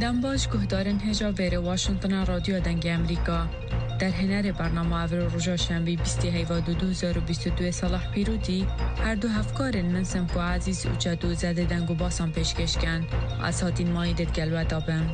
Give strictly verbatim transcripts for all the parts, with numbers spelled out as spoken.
Dem baş guhdarên hêja vêrê Washingtona Radyoya Dengê Emerîka. Derhênerê bernama evro roja şembî bîstê heyva du du hezar û bîst û duyê Salah Pîrûtî, her du hevkarên min Semko Ezîz û Çeto Zedê deng û basan pêşkêş ken. Ez hatîn mayî dê digel we de bim.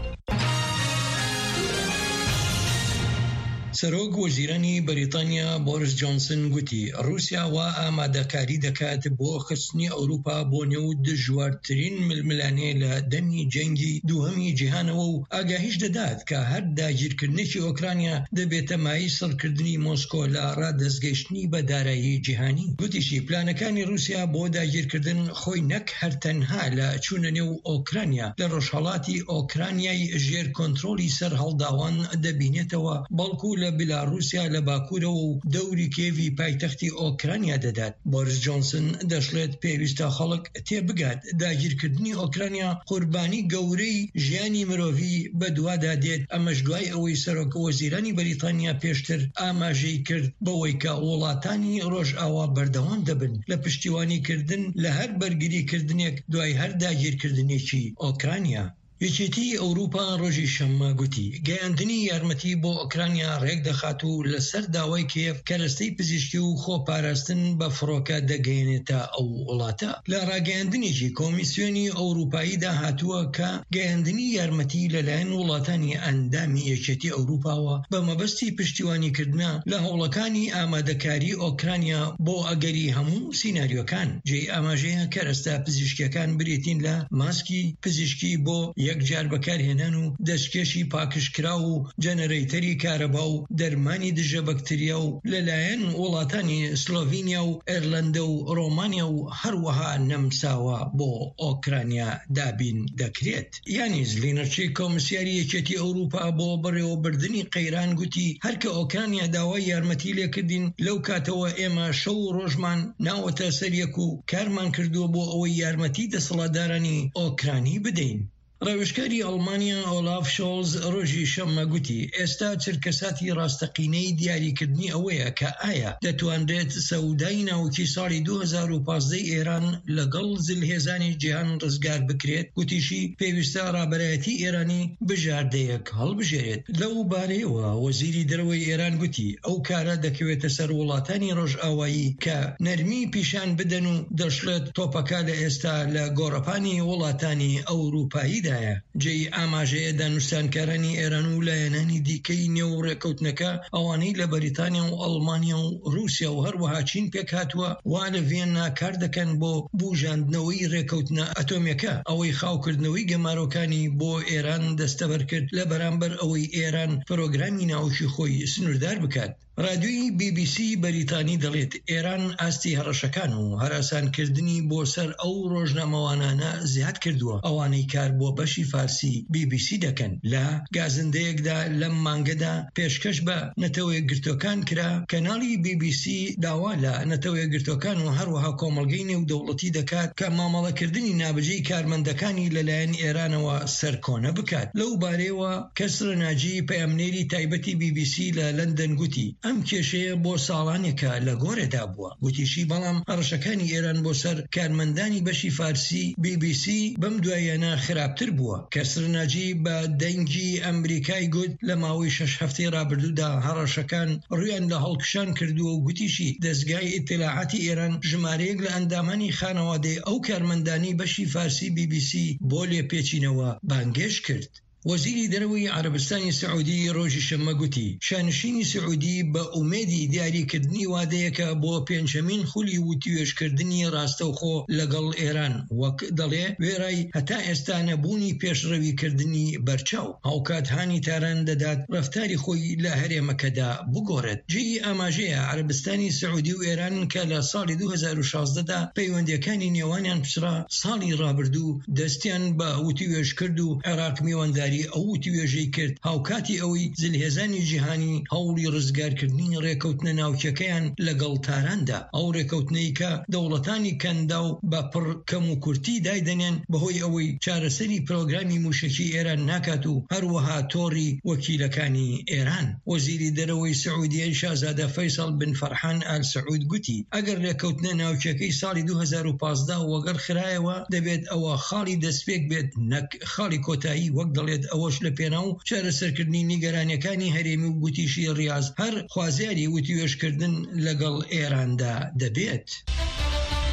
Serok Wezîranî Berîtanya Boris Johnson gotî, Rûsya wa amadekarî dekat bo xistnî Ewropa bo nêw dijwartirîn milmilanê li demî cengî duhemî cîhanê û agahî jî dedat ka her dagîrkirinekî Ukrayna dibête mayî sirkirdinî Mosko li radestgehiştinî bi darayî cîhanî. Gotî jî, planekani Rûsya bo dagîrkirdin xwey nek her tenha li çûne nêw Ukrayna, li rojhelatî Ukraynayê jêr kontrolî serhildawan dibînêtewe, belkû li Belarûsya li bakurê û dewrî Kîevî paytextî Ukrayna dedat. Boris Johnson dişlêt pêwîst e xelk têbigat, dagîrkirdinî Ukrayna qurbanî gewreyî jiyanî mirovî bi duwa de dêt. Eme ji duayê ewê Serok Wezîranî Berîtanya pêştir amajeyî kir, bi wê ke welatanî Rojawa berdewam dibin li piştîwanîkirdin li her bergirîkirdinêk duayê her dagîrkirdinêkî Ukrayna. Yekîtî Ewropa rojî şemma gotî, geyandinî yarmetî bo Ukrayna rêk dixat û li ser dawayê Kîev keresteyî pizîşkî û xweparastin bi firoke digihênête ew welata. Li rageyandinekî Komîsyonî Ewropayî de hatiye ke geyandinî yarmetî li layen welatanî endamî Yekîtî Ewropa we bi mebestî piştîwanîkirina li hewlekanî amadekarî Ukrayna bo egerî hemû sînaryokan. Cihê amajeyê kereste pizîşkîyekan birêtîn li maskî pizîşkî bo yekcar bekarhênan û destkeşî pakişkiraw û jenereyterî kareba û dermanî dije bakteriya û li layen welatanî Slovenya û Îrlanda û Romanya û her wiha nemsawa bo Ukrayna dabîn dikrêt. Yanî Zlînirçî, Komîsyarî Yekîtî Ewropa bo birêvebirdinî qeyran gotî, her ke Ukrayna dawayî yarmetî lê kirdîn, lew katewe ême şew û rojman nawete ser yek û karman kirdo bo ewê yarmetî desthilatdaranî Ukraynî bideyn. Rewişkarî Almanya Olaf Scholz rojî şemma gotî, êsta çirkesatî rasteqîneyî diyarîkirdinî ew ye ke aya detwanrêt sewdayî navokî salî du hezar û pazdeh Îran li gel zilhêzanê cîhan rizgar bikirêt. Gotî jî, pêwîst e raberayetî Îranî bijardeyek hilbijêrêt. Lew barê we, Wezîrî Dereweyê Îran gotî, ew kare dikewête ser welatanî Rojawayî ke nermî pîşan bidin û dişlêt topeka li êsta li gorepanî welatanî Ewropayî de ye. Cihê amajeyê danûstankaranî Îran û layenanî dîkeyî nêw rêkewtineke, ewanî li Berîtanya û Almanya û Rûsya û her wiha Çîn pêk hatiye, wa li Vîyenna kar dikin bo bûjandineweyî rêkewtina atomîke, ewê xawkirdineweyî gemarokanî bo Îran desteber kir, li beramber ewê Îran programî navokî xwe yî sinûrdar bikat. Radyoyî B B C Berîtanî dilêt Îran astî herişekan û herasankirdinî bo ser ew rojnamewanane ziyad kirdiwe, ewanî kar bo beşî farsî B B C dikin. Li gazindeyek de lem mange de pêşkeş bi Netewê Girtokan kira, kanalî B B C dawa li Netewê Girtokan û her wiha komelgeyî nêwdewletî dikat ke mamelekirdinî nabiceyî karmendekanî li layen Îranewe serkone bikat. Lew barê we Kesra Nacî, peyamnêrî taybetî B B C li London gotî, Em kêşeyê bo salanêk e li gorê de bûye. Gotî jî, belam herişekanî Îran bo ser karmendanî beşî farsî B B C bem duayene xirabtir bûye. Kesra Nacî bi Dengî Emerîkayê got, li mawê şeş hefteyê rabirdû de herişekan rûyan li hilkişan kirdiwe û gotî jî, dezgehê îtîlaatî Îran jimareyek li endamanî xanewadê ew karmendanî beşî farsî B B C bo lêpêçînewe bangêş kir. Wezîrî Dereweyî Erebistanê Siûdî rojî şemê gotî, şanişînî Siûdî bi umêdî diyarîkirdinî wadeyeke bo pêncemîn xulî witîwêjkirdinî rastewxo li gel Îran, wek dilê, wê rayî heta êsta nebûnî pêşrewîkirdinî berçaw. Hawkat hanî Tehran didat reftarî xwe yî li herêmeke de bigoret. Cihê amajê ye Erebistanê Siûdî û Îran ke li salê du hezar û şazdeh de peywendiyekaniya nêwaniyan piştre salî rabirdû destiyan bi witîwêj kir û Iraq mîwandarî ew witîwêjê kir. Hawkatî ewî zilhêzanî cîhanî hewlî rizgarkirdinî rêkewtina navçekeyan li gel Tehran de. Ew rêkewtineyê ke dewletanî kendaw bi pir kemûkurtî daydenên, bi hoy ewî çareserî programî mûşekî Îran nakat û her wiha torî wekîlekanî Îran. Wezîrî Dereweyî Siûdiyê Şazade Feysal bin Ferhan Al Saûd gotî, eger rêkewtina navçekeyî salî du hezar û pazdeh wegel xirayewe, dibêt ewa xalî destpêk bêt, nek xalî kotayî, wek dilê ئەوەش لە پێناو چارەسەرکردنی نیگەرانیەکانی هەرێمی و گوتیشی ڕیاز هەر خوازیاری وتیوێژکردن لەگەڵ ئێراندا دەبێت.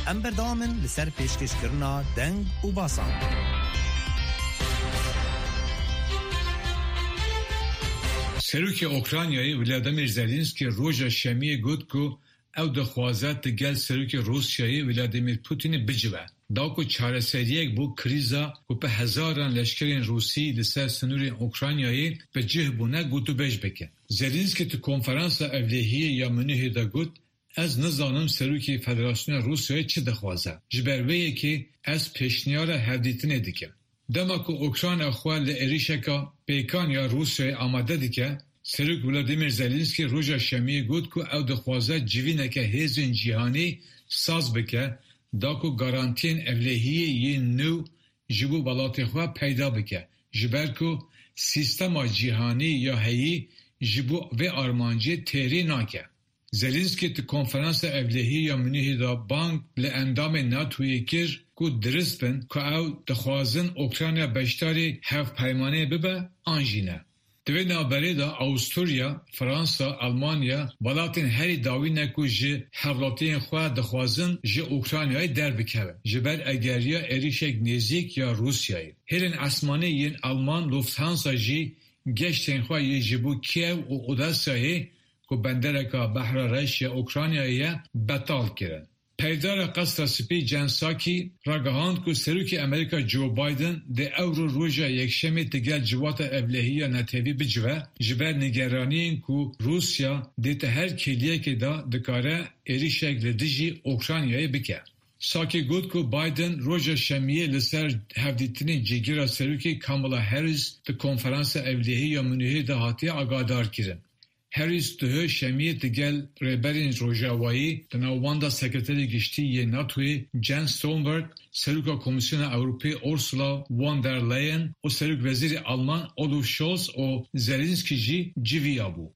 ئەم بەردەوامن لەسەر پێشکەشکردنا دەنگ و باسان. Serokê Ukraynayê Volodymyr Zelensky roja Şemiyê got ku ew dixwaze digel Serokê Rûsyayê Vladimir Putinê bicive, da ku çareseriyek bo krîza ku bi hezaran leşkerên Rûsî li ser sinûrên Ukraynayê bi cih bûne gotûbêj bike. Zelensky di konferansa ewlehiyê ya Munihê de got, Ez nizanim Serokê Federasyona Rûsyayê çi dixwaze. Ji ber vê yekê ez pêşniyara hevdîtinê dikim. Dema ku Ukrayna xwe li êrişeka pêkan ya Rûsyayê amade dike, Serok Volodymyr Zelensky roja Şemiyê got ku ew dixwaze civîneke hêzên cîhanî saz bike, da ku garantiyên ewlehiyê yên nû ji bo welatê xwe peyda bike, ji ber ku sîstema cîhanî ya heyî ji bo vê armancê têrî nake. Zelensky di konferansa ewlehiyê ya Munîhê de bang li endamên NATOyê kir ku dirist bin ku ew dixwazin Ukrayna beşdarî hevpeymanê bibe an jî ne. Di vê navberê de Awusturya, Fransa, Almanya welatên herî dawî ne ku ji hevlatiyên xwe dixwazin ji Ukraynayê derbikevin, ji ber egeriya êrişek nêzîk ya Rûsyayê. Hêlên esmanî yên Alman Lufthansa jî geştên xwe yê ji bo Kiev û Odesayê ku bendereka Behra Reş ya Ukraynayê ye, betal kirin. Peyvdara Qesra Spî Jen Psaki ragihand ku Serokê Amerîka Joe Biden dê ewro roja Yekşemê digel civata ewlehî ya netewî bicive, ji ber nîgeraniyên ku Rûsya dê di her kêliyekê de dikare êrişek li dijî Ukraynayê bike. Psaki got ku Biden roja Şemiyê li ser hevdîtinê cîgira Serokê Kamala Harris di konferansa ewlehî ya Munîhê de hatiye agahdar kirin. Harris duhê Şemiyê digel rêberên Rojavayî, di nav wan de Sekreterê Giştî yê NATOyê Jens Stoltenberg, Seroka Komîsyona Ewropê Ursula von der Leyen û Serokwezîrê Alman Olaf Scholz û Zelensky jî civiya bû.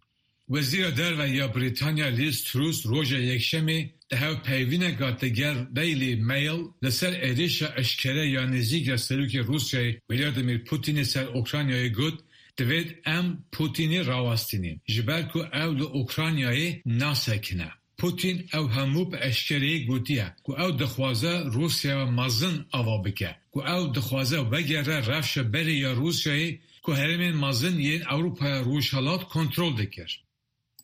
Wezîra Derve ya Brîtanya Liz Truss roja Yekşemê di hevpeyvîneka digel Daily Mail li ser êrişa eşkere ya nêzîk ya Serokê Rûsyayê Vladimir Putinê ser Ukraynayê got, Divêt em Putinî rawestînîn, ji ber ku ew li Ukraynayê nasekine. Putin ew hemû bi eşkereyê gotiye ku ew dixwaze Rûsya mezin ava bike, ku ew dixwaze vegere rewşa berê ya Rûsyayê ku herêmên mezin yên Ewropaya Rojhilat kontrol dikir.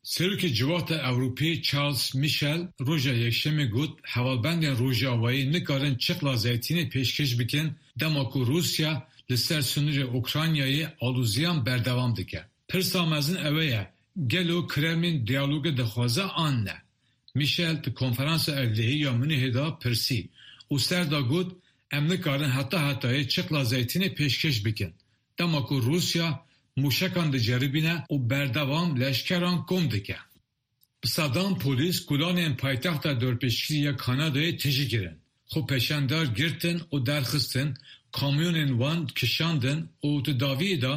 Serokê Civata Ewropî Charles Michel roja Yekşemê got, hevalbendên Rojavayî nikarin çiqla zeytînê pêşkêş bikin, dema ku Rûsya li ser sinûrê Ukraynayê alûziyan berdewam dike. Pirsa mezin ew e ye, gelo Kremlin diyalogê dixwaze an ne? Michel di konferansa ewlehî ya Munîhê de pirsî û ser da got, Em nikarin heta hetayê çiqla zeytînê pêşkêş bikin, dema ku Rûsya mûşekan diceribîne û berdewam leşkeran kom dike. Bi sedan polîs kulanên paytexta dorpêçkirî ya Kanadayê tijî kirin. Xwepêşandar girtin û derxistin, kamyonên wan kişandin û di dawiyê de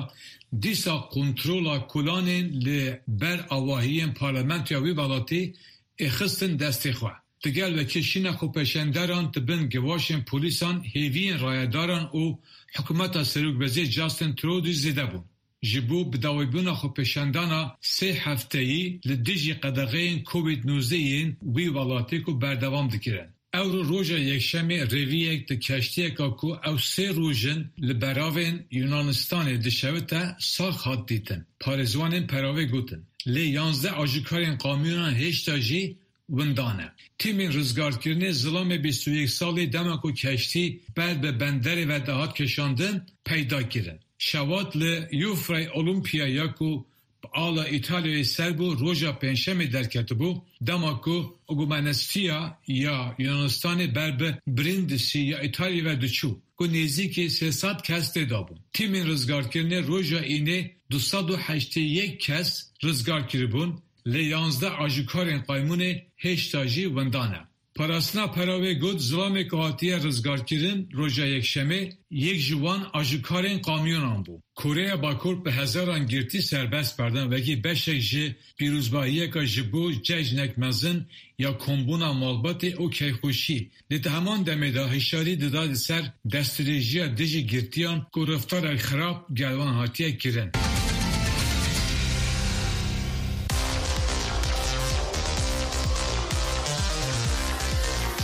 dîsa kontrola kulanên li ber avahiyên parlamentoya wî welatî êxistin destê xwe. Digel vekê şîna xwepêşandaran di bin givaşên polîsan hêviyên rayedaran û hikûmeta Serokwezîr Justin Trudeau zêde bûn. Ji bo bidawîbûna xwepêşandana sê hefteyî li dijî qedexeyên Covid nozdeh yên wî welatê ku berdewam dikirin. Ewro roja Yekşemê rêviyek di keştiyeka ku ew sê roj in li beravên Yunanistanê dişewite sax hat dîtin. Parêzwanên peravê gotin. Lê yanzdeh ajukarên kamyonan hêşta jî winda ne. Tîmên rizgarkirinê zilamê bîst û yek salî dema ku keştî ber bi benderê ve dihat kişandin, peyda kirin. Şewat li Yufrey Olimpiya ya ku bi ala Îtalyayê ser bû roja Pêncşemê derketibû, dema ku Ogomanestiya ya Yunanistanê ber bi Brindisi ya Îtalyayê ve diçû, ku nêzîkî sê sed kes tê de bûn. Tîmên rizgarkirinê roja Înê du sed û heştê yek kes rizgar kiribûn, lê yanzdeh ajukarên qaymûnê hêşta jî winda ne. Parastina pera wê got, zilamê ku hatiye rizgarkirin roja Yekşemê, yek ji wan ajikarên kamyonan bû. Koreya Bakur bi hezaran girtî serbest berdin, wekî beşek ji pîrozbahiyeka ji bo cejnek mezin ya kombûna malbatê û keyfxweşî. Lê di heman demê de hişyarî dida li ser destdirêjiya dijî girtiyan ku reftarek xirab gel wan hatiye kirin.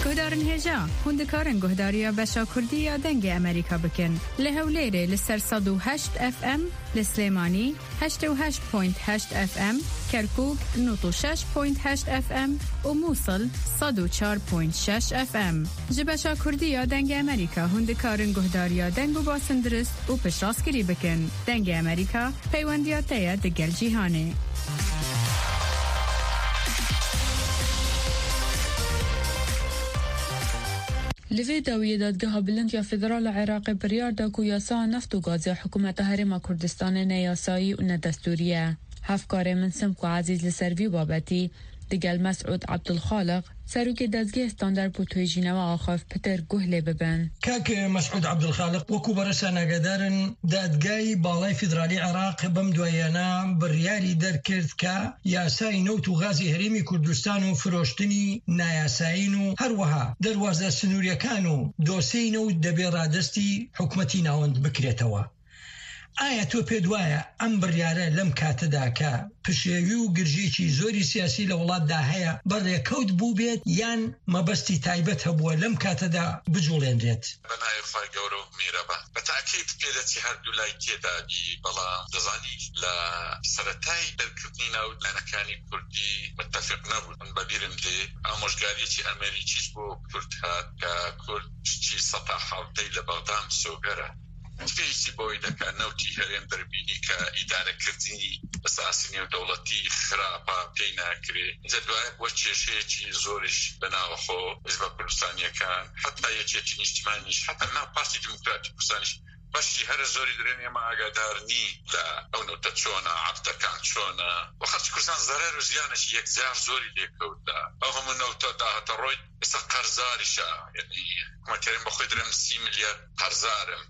Guhdarên hêja, hûn dikarin guhdariya beşa Kurdî ya Dengê Amerîka bikin. Li Hewlêrê li ser sed û heşt F M, li Silêmanî heştê û heşt point heşt F M, Kerkûk nod û şeş point heşt F M û Mûsil sed û çar point şeş F M. Ji beşa Kurdî ya Dengê Amerîka hûn dikarin guhdariya deng û basindiriz û piştrastgirî bikin. Dengê Amerîka, peywendiya te ye digel cîhanê. Li vê dawiyê Dadgeha Bilind ya Federal a Iraqê biryar da ku yasaya neft û gazê ya Hikûmeta Herêma Kurdistanê ne yasayî û ne destûrî ye. Hevkarê min Simko Ezîz li ser vî babetî digel Mesûd Ebdulxaliq, serokê Dezgehê Standard bo Tohêjînewa axaft pitir guh lê bibin. Kak Mesûd Ebdulxaliq, wekû beresa nagedar in, Dadgehê Balay Federalî Iraq bem duayana biryarî derkird ka yasayê newt û gazê Herêmê Kurdistan û firoştinî nayasayîn û her wiha derwaza sinûriyekan û dosyeyê newt debê radestî hikûmetî navend bikrêtewe. Aya to pê di waya em biryare lem kate da ke pişêwî û girjiyekî zorî siyasî li welat da heye, bi rêkewt bûbêt yan mebestî taybet hebûye lem kate da bicûlênrêt? Bi navê Xway Gewre û Mîreba. Bi tekîd pêlekî her du lay tê da bî, belam dizanî li seretayî derkevtîna û lanekanî kurdî mitefîq nebûn. Min bi bîr in dê amojgariyekî Amerîkî ji bo kurd hat, ke kurd ji seta hewtey li Bexda misoger e. Spêsî boy deke newtî herêm derbînî ke îdarekirdinî esasî nêwdewletî xirab a pey nakirê. Înca duayê bi we kêşeyekî zor îş bi nav xwe, hizba Kurdistaniyê ke heta yekîyetî nîştimanî jî, heta nav Partî Demokratîk Kurdistanî jî, beşî here zorî dirên êma agadar nî de ew newte çona, ebdekan çona. Û xelkî Kurdistan zerer û ziyanekî yekcar zorî lê kewt de. Ew hemû newte dahate roy. Êsta qerzar îşa, yanî hikûmetê herêm bi xwe direm sî milyar qerzar im.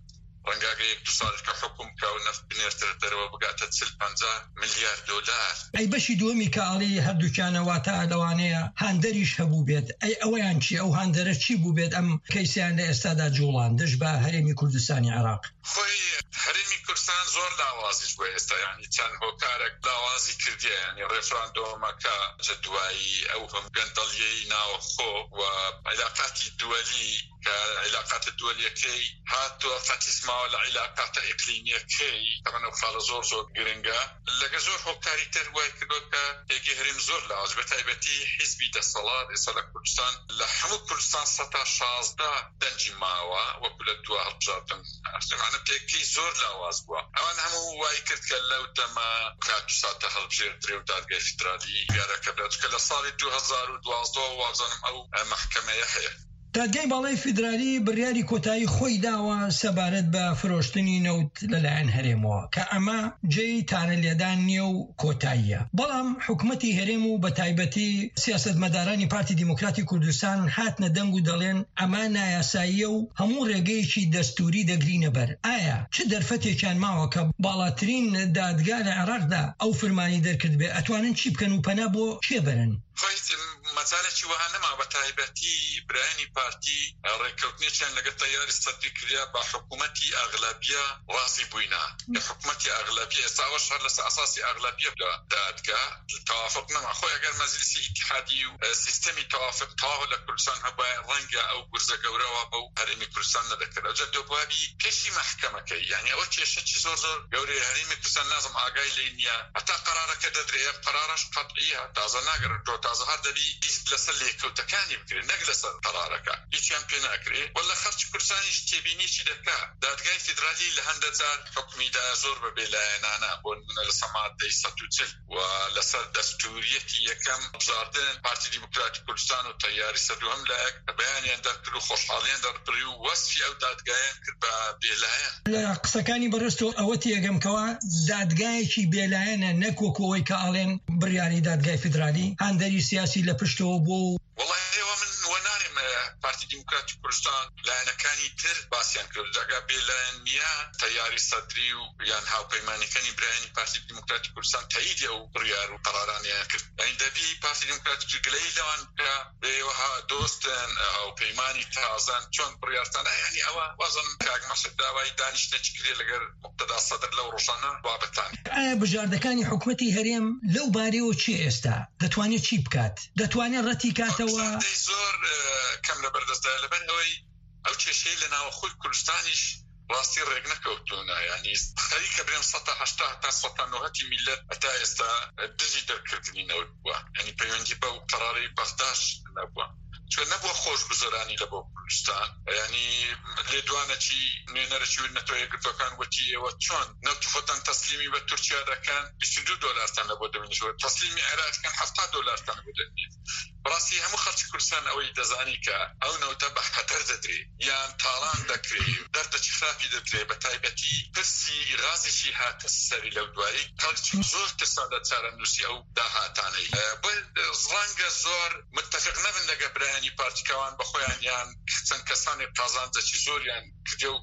Renga ge yek du salî ke hukûm ke ew neft binêrtir derve bigate çil penca milyar dolar. Ey beşî duwemî ke alî her dukane wate lewaneye handerîş hebû bêt. Ey eweyan çi? Ew handere çi bû bêt? Em keyseyan li êsta da colan dij be Herêmî Kurdistanî Iraq. Xwey Herêmî Kurdistan zor lawazî ji bo êsta, yanî çend hokarek lawazî kirdiye, yanî referandumeke ji duayî ew him gendeliyeyî nav xwe û îlaqatî duwelî ke îlaqatê duweliyekey hat û qetîsma li îlaqata îqlîmiyekey, temen ew xala zor zor giring e. Lege zor hokarî ter wayî kirdo ke hêgê herêm zor lawaz, bi taybetî hizbî desthilat êsa li Kurdistan, li hemû Kurdistan seta şazdeh dencî mawa, wekû li dua hilbijartin. Yanî pêkî zor lawaz bû. Ewan hemû wayî kir ke lew dema ka tu sate hilbijêr dirê û dadgehê federalî biyareke bira. Çike li salê du hezar û duwazdeh û wazanim ew, e, mehkemeye heye. Dadgehê Balay Federalî biryarî kotayî xwey dawa sebaret bi firoştinî newt li layen herêmwa, ke ema cêyî tanelêdan niye û kotayî ye. Belam hikûmetî herêm û bi taybetî siyasetmedaranî Partî Demokratî Kurdistan hatine deng û delên ema nayasayî ye û hemû rêgeyekî destûrî degirîne ber. Aya çi derfetêkan mawe ke balatirîn dadgeh li Iraq de ew firmanî derkirdibe? Etwanin çi bikin û pena bo kê berin? Xwey mecalekî wiha nema, bi taybetî birayênî partî rêkewtinê çend lege teyarî sedî kiriye, bi hikûmetî exlebiya razî bûyîna. Hikûmetî exlebiya, êsta ew şer li ser esasî exlebiya da-, dadgeh. Tewafiq nema. Xwe eger meclîsê îtîhadî û, e, sîstemî tewafiq tawa li Kurdistan hebûya, renge ew gurze gewre wa be û herêmî Kurdistan nedikir. Ew ca dubabî pêşî mehkemeke. Yanî ew kêşekî zor zor gewre ye. Herêmî Kurdistan nazim agahî lê niye. Heta qerareke dedirê, ev qerara ji qet'î ye. Taze nagere, to taze her debî îz li ser lêkewtekanî bikirê, ne li ser qerareke. Hîç yan pê nakirê. Wele xelkî Kurdistanî jî têbînî jî dike. Dadgehê Federalî li hende car hukmî daye zor bi bêlayenane. Bo nimûne li ser madeyê sed û çil. و لەسەر دەستووریەتی یەکەم بژاردن پارتی دیموکراتی کوردستان و تەیاری سەدوهەم لە بەیانیان دەرکرد و خۆشحاڵیان دەربڕی و وەسفی ئەو دادگایان کرد بە بێلایەن. لە قسەکانی بەڕێز تۆ ئەوە تێگەم کەوا دادگایەکی بێلایەنە، نەک وەکو ئەوەی کە ئاڵێن بڕیاری دادگای فیدرالی هاندەری سیاسی لە پشتەوە بۆ و وەڵاهی ئێوە من وە نان پارتی دیموکراتی کوردستان، لایەنەکانی تر باسیان کرد. ئەگەر بێلایەن نییە، تەیاری سەدری و یان هاوپەیمانەکانی برایانی پارتی دیموکراتی کوردستان تەییدی ئەو بڕیار و قەرارانیان کرد. یعنی دەبی پارتی دیموکراتی گلەی لەوان بکە، بێ وەها دۆستن، هاوپەیمانی تازەن، چۆن بڕیارتان، یعنی ئەوە وازم کاک مەسعود داوای دانیشتنێکی کرێ لەگەر مقتەدا سەدر لەو ڕۆژانە بابەتان. ئایا بژاردەکانی حکومەتی هەرێم لەو بارەیەوە چی ئێستا؟ دەتوانێت چی بکات؟ دەتوانێت ڕەتی کاتەوە؟ بژاردەی زۆر، ئە، کەم لە بەردەستدایە، لەبەر ئەوەی ئەو کێشەی لە ناوەخۆی کوردستانیش ڕاستی ڕێک نەکەوتوونە. یعنی خەریکە برێن سەد تا هەشتا هەتا سەد تا نەوەتی میلەت هەتا ئێستا دژی دەرکردنی نەوت بووە. یعنی پەیوەندی بەو قەرارەی بەغداش نەبووە. چۆن نەبووە خۆش گوزەرانی لە بۆ کوردستان. یعنی لێدوانەکی نوێنەرەکی نەتەوە یەکگرتوەکان وتی ئێوە چۆن نەوت خۆتان تەسلیمی بە تورکیا دەکەن، بیست و دوو دۆلارتان لە بۆ دەبینێتەوە، تەسلیمی عێراقەکەن، حەفتا دۆلارتان لە بۆ دەبینێت. بەڕاستی هەموو خەڵکی کوردستان ئەوەی دەزانی کە ئەو نەوتە بە خەتەر دەدرێ یان تاڵان دەکرێ، دەردەکی خراپی دەدرێ، بە تایبەتی پرسی غازێکی هاتە سەری لەو دوایی، خەڵکی زۆر ترسان لە چارەنووسی ئەو داهاتانەی. ئە، بۆ ڕەنگە زۆر متفق نەبن لەگە برایانی پارتیکەوان بە خۆیان یان چەند کەسانی قازانجەکی زۆریان کردێ و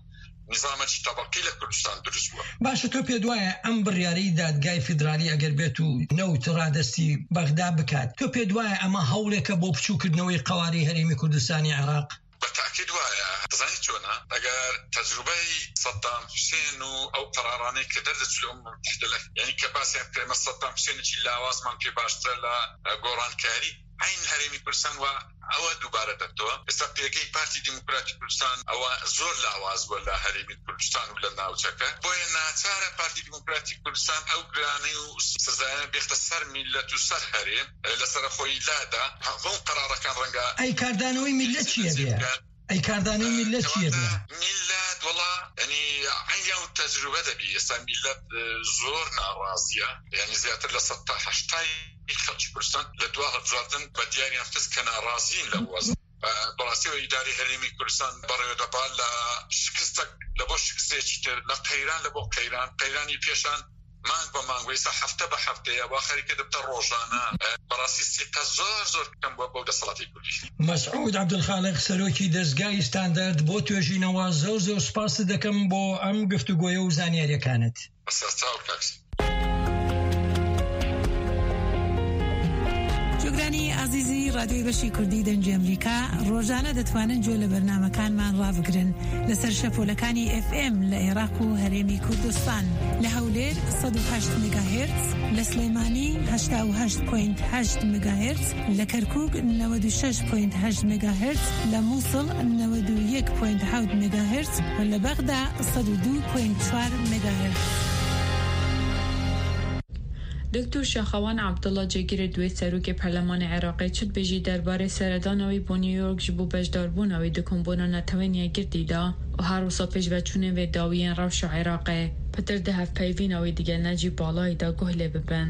نظامەکی تەبەقی لە کوردستان دروست بووە. باشە، تۆ پێت وایە ئەم بڕیارەی دادگای فیدرالی ئەگەر بێت و نەوت ڕادەستی بەغدا بکات، تۆ پێت وایە ئەمە هەوڵێکە بۆ بچووکردنەوەی قەواری هەرێمی کوردستانی عێراق؟ بە تاکید وایە. دەزانی چۆنە؟ ئەگەر تەجروبەی سەدام حوسێن و ئەو قەرارانەی کە دەردەچوو لە ئومم متحدە لە، یعنی کە باسیان کرێمە سەدام حوسێنێکی لاوازمان پێ باشترە لە، ئە، گۆڕانکاری عین هەرێمی کوردستان و ئەوە دووبارە دەبتەوە. ئێستا پێگەی پارتی دیموکراتی کوردستان ئەوە زۆر لاواز بووە لە هەرێمی کوردستان و لە ناوچەکە. بۆیە ناچارە پارتی دیموکراتی کوردستان ئەو گرانی و سزایانە بێختە سەر میلەت و سەر هەرێم، ئە، لەسەر خۆی لادا. هەموو قەرارەکان ڕەنگە ئەی کاردانەوەی میلەت چییە بێ؟ ئەی کاردانەوەی میلەت چییە بێ؟ میلەت، وەڵا، یعنی، عین ئەو تەجروبە دەبی. ئێستا میلەت، ئە، زۆر ناڕازیە. یعنی زیاتر لە سەد تا هەشتای خەڵکی کوردستان لە دوا هەڵبژاردن بە دیاریان خست کە ناڕازین لە وەزن. بەڕاستیەوە ئیداری هەرێمی کوردستان بەڕێوە دەبا لە شکستە، لە بۆ شکستێکی تر، لە قەیران لە بۆ قەیران، قەیرانی پێشان مانگ بە مانگ، ویسا هەفتە بە هەفتەیە، وا خەریکە دەبتە ڕۆژانە. بەڕاستی سیقە زۆر زۆر کەم بووە بۆ دەسەڵاتی کوردی. مەسعود عەبدولخالق، سەرۆکی دەستگای ستاندەرد، بۆ توێژینەوە زۆر زۆر سپاست دەکەم بۆ ئەم گفتوگۆیە و زانیاریەکانت. بەسەر چاو کاک. جۆگرانی ئازیزی ڕادیۆی بەشی کوردی دەنگی ئەمریکا، ڕۆژانە دەتوانن جۆ لە بەرنامەکانمان ڕابگرن لەسەر شەپۆلەکانی ئێف ئێم لە عێراق و هەرێمی کوردستان، لە هەولێر سەد و هەشت مێگاهێرتز، لە سلێمانی هەشتا و هەشت پۆینت هەشت مێگاهێرتز، لە کەرکووک نەوەد و شەش پۆینت هەشت مێگاهێرتز، لە مووسڵ نەوەد و یەک پۆینت حەوت مێگاهێرتز و لە بەغدا سەد و دوو پۆینت چوار مێگاهێرتز. دکتۆر شاخەوان عەبدوڵڵا جێگیرێ دوێ سەرۆکێ پەرلەمانی عێراقێ چت بێژی دەربارەی سەردانەوەی بۆ نیویۆرک ji bo beşdarbûnawî di kombûna netewên yekgirtî de û her wisa pêşveçûnê vê dawiyên rewşa Iraqê pitir di hevpeyvîna wî digel necî balayî de guh lê bibin.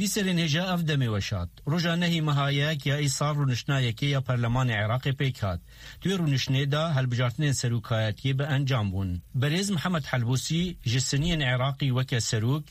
Dîserên hêja ev demê weşat. Roja nehî meha yek ya îsal rûniştna yekê ya Perlemanê Iraqê pêk hat. Di wê rûniştinê de hilbijartinên serokayetiyê bi encam bûn. Berêz Mihemed Helbûsî ji siniyên Iraqî weke serok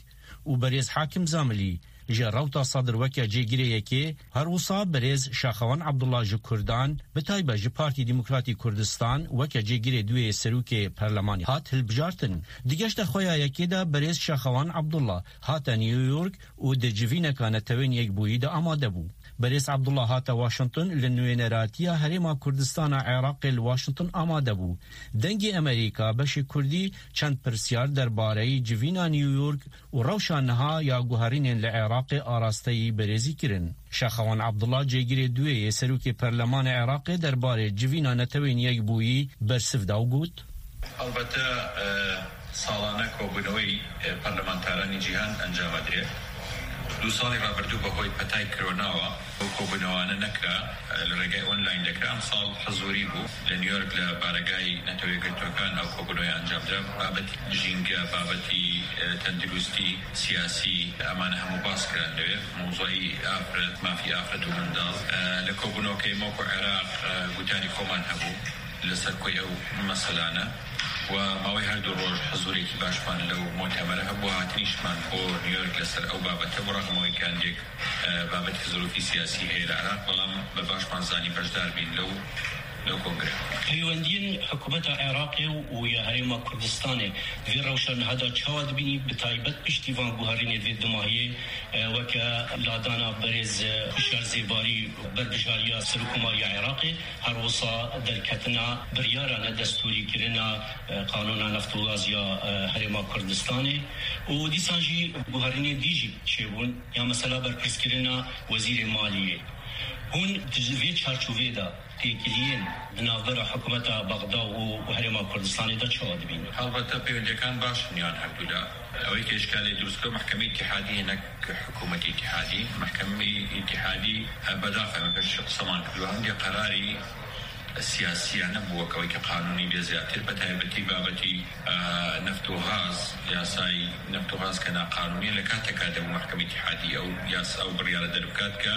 û berêz Hakim Zamilî ji rewta Sadir weke cêgirê yekê, her wisa berêz Şaxewan Abdullah ji Kurdan, bi taybet ji Partî Demokratî Kurdistan weke cêgirê duwê serokê perlemanî hat hilbijartin. Di geşta xwe ya yekê de berêz Şaxewan Abdullah hate New York û di civîneka Netewên Yekbûyî de amade bû. Berêz Abdullah hate Washington li nûêneratiya Herêma Kurdistana Iraqê li Washington amade bû. Dengê Amerîka beşê Kurdî çend pirsyar derbareyî civîna New York û rewşa niha ya guherînên li Iraqê arasteyî berêzî kirin. Şaxewan Abdullah cêgirê duwê yê serokê perlemanê Iraqê derbarê civîna Netewên Yekbûyî bersiv da û got: Elbette, e, ساڵانە کۆبوونەوەی، ئە، پەرلەمانتارانی جیهان ئەنجامەدرێت. دوو ساڵی ڕابردوو بەهۆی پەتای کرۆناوە ئەو کۆبوونەوانە نەکرا، ئە، لە ڕێگای ئۆنلاین دەکرا. ئەمساڵ حەزووری بوو لە نیویۆرک لە بارەگای نەتەوە یەکگرتووەکان ئەو کۆبوونەوەی ئەنجامدرا. بابەتی ژینگە، بابەتی، ئە، تەندروستی، سیاسی، ئەمانە هەموو باس کران لەوێ. مۆزوعی ئافرەت، مافی ئافرەت و منداڵ، ئە، لە کۆبوونەوەکەی مۆک و عێراق، ئە، گوتاری خۆمان هەبوو لەسەر کۆی ئەو مەسەلانە و ماوەی هەردوو ڕۆژ حزوورێکی باشمان لەو مۆتەمەرە هەبوو. هاتنیشمان بۆ نیویۆرک لەسەر ئەو بابەتە بوو، ڕەغم ئەوەی کە هەندێک، ئە، بابەتی زروفی سیاسی هەیە لە عێراق، بەڵام بە باشمان زانی بەشدار بین لەو Peywendiyên hikûmeta Iraqê û ya Herêma Kurdistanê vê rewşa niha de çawa dibînî, bi taybet piştî van guherînê vê dumahiyê, e, weke ladana berêz, e, Hişyar Zêbarî berbijariya Serokkomariya Iraqê, her wisa derketina biryara nedestûrîkirina, e, qanûna neft û gaz ya, e, Herêma Kurdistanê û dîsan jî guherînê dî jî çêbûn, ya mesela berpirsgirina Wezîrê Maliyê. Hûn di vê çarçovê de têkiliyên di navbera hikûmeta Bexda û, û Herêma Kurdistanê de çawa dibînin? Helbette pêwendiyekên baş in yan herdû la. Ewê ke îşkalê dirust kir, mehkemê îtîhadî ye, ne hikûmetê îtîhadî. Mehkemê îtîhadî, e, bedaxev me pêş qisman kiriyo. Hindê qerarî siyasî ye, nebû wek ewê ke qanûnî bê zêdetir. Bi taybetî babetî, e, neft û gaz, yasayê neft û gaz ke naqanûnî ye, li kateka de bû mehkemê îtîhadî ew yas-, ew biryara derbikat ke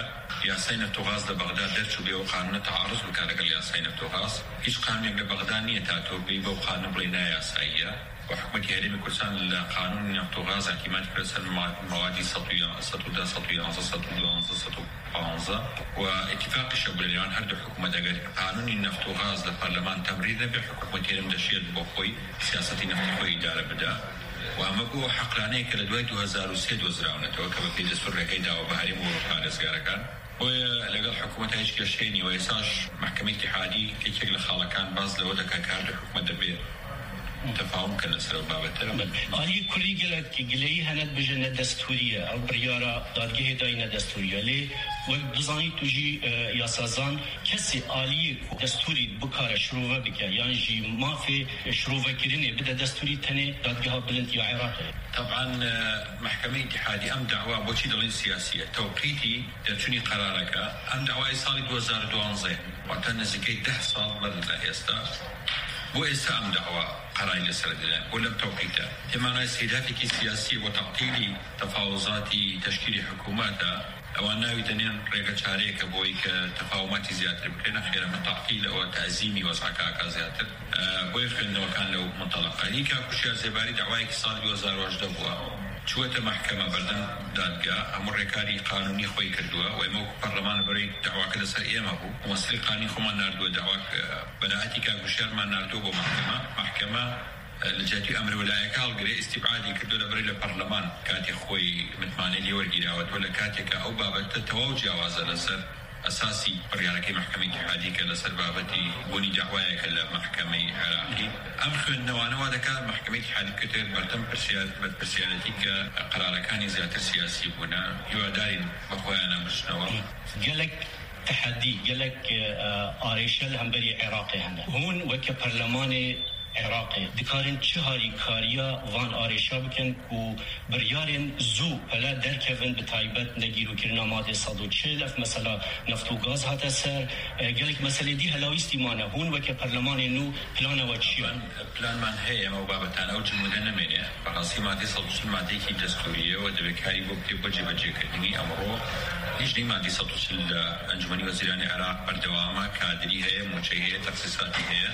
yasayê neft û gaz li Bexda derçûbê û qanûna tearuz bike legel yasayê neft û gaz. Hîç qanûnek li Bexda niye ta tu bêyî be û qanûn bڵێ ne yasayî ye. Û hikûmetê Herêmê Kurdistan li qanûnê neft û gaz îtîmad kiriye ser ma-, mewadî sed û ya-, sed û deh, sed û yanzdeh, sed û duwanzdeh, sed û panzdeh. Û îtîfaqî şebû li nêwan her du hikûmet, eger qanûnê neft û gaz li parleman temrîr nebe, hikûmetê Herêmê deşiye bo xwe siyasetê neftê xwe îdare bide. Û ev bû heqlaneyeke li duway du hezar û sê dozrawnetewe ke bi pêdestûr rêkê dawe bi herêm û parêzgarekan. Boye legel hikûmeta hîç kêşeyê nî û êsaş mehkemê îtîhadî yekek li xalekan baz li we dike kar di hikûmet de bê tefahûm kin li ser ew babete. Aliyê kurdî gelek gileyî hene dibêje ne destûrî ye. Ew biryara dadgehê dayî ne destûrî ye. Lê wek dizanî tu jî, e, yasazan, kesê aliyê ku destûrî bikare şirove bike yan jî mafê şirovekirinê bide destûrî, tenê dadgeha bilind ya Iraqê. Teban, e, mehkemê îtîhadî em dawa boçî dilin siyasî ye. Tewqîtî derçûnî qerareke, em dawayê salî du hezar û duwanzdeh, wate nizîkey deh sal ber li êsta, bo êsta em dawa qerarî li ser dide, bo lem tewqît e. Tê manayê sêdafekî siyasî bo te'tîlî tefawuzatî teşkîlî hikûmet e, ewan navî tenê rêke çareyeke bo wê ke tefawumatî zêdetir bike, nexêr em te'tîl e, ew tezîmî wez'eke aka zêdetir. Bo yê xwendinewkan lew munteleqa. Hîka Hişyar Zêbarî dawayekî sal du hezar û hejdeh bû. Çûyete mehkeme berdem dadgeha, hemû rêkarî qanûnî xwey kiriye. Wê me wekî parleman li berê dawake li ser ême bû. Mumessilê qanûnî xweman nardiye dawak, beraetî ka Hişyarman nardiye bo mehkeme. Mehkeme, e, li cihê emrê welayeke hilgirê, îstîbadî kiriye li berê li parleman katê xwey mitmanê lê wergîraye. Wê li katê ka ew babete tewaw ciyawaz e li ser esasî biryareke mehkemê îtîhadî ke li ser babetî bûnî dawayeke li mehkemeyê Iraqî. Em xwendinewane wa dike mehkemê îtîhadî kete berdem pirsiyar-, berpirsiyariyetî ke qerarekanî zêdetir siyasî bûne. Hîwadarîn bi xwe yana biçineve. Gelek tehedî, gelek, e, arêşe li hemberî Iraqê hene. Hûn weke perlemanê Iraqê dikarin çi harîkariya van arêşa bikin ku biryarên zû pele derkevin, bi taybet negîrokirina madê sed û çil, ev mesela neft û gaz hate ser, e, gelek meselê dî helawîstî mane. Hûn weke perlemanê nû plana we çi ye? Plan, planman heye, em ew babetan, ew cimûde nemêne. Bi rastî madê sed û çil madeyekî destûrî ye û divê karî bo bikê bo cêbecêkirinî. Emro lijneyê madê sed û çil li Encûmenî Wezîranê Iraq berdewam e, kadirî heye, mûçeyî heye, texsîsatî heye.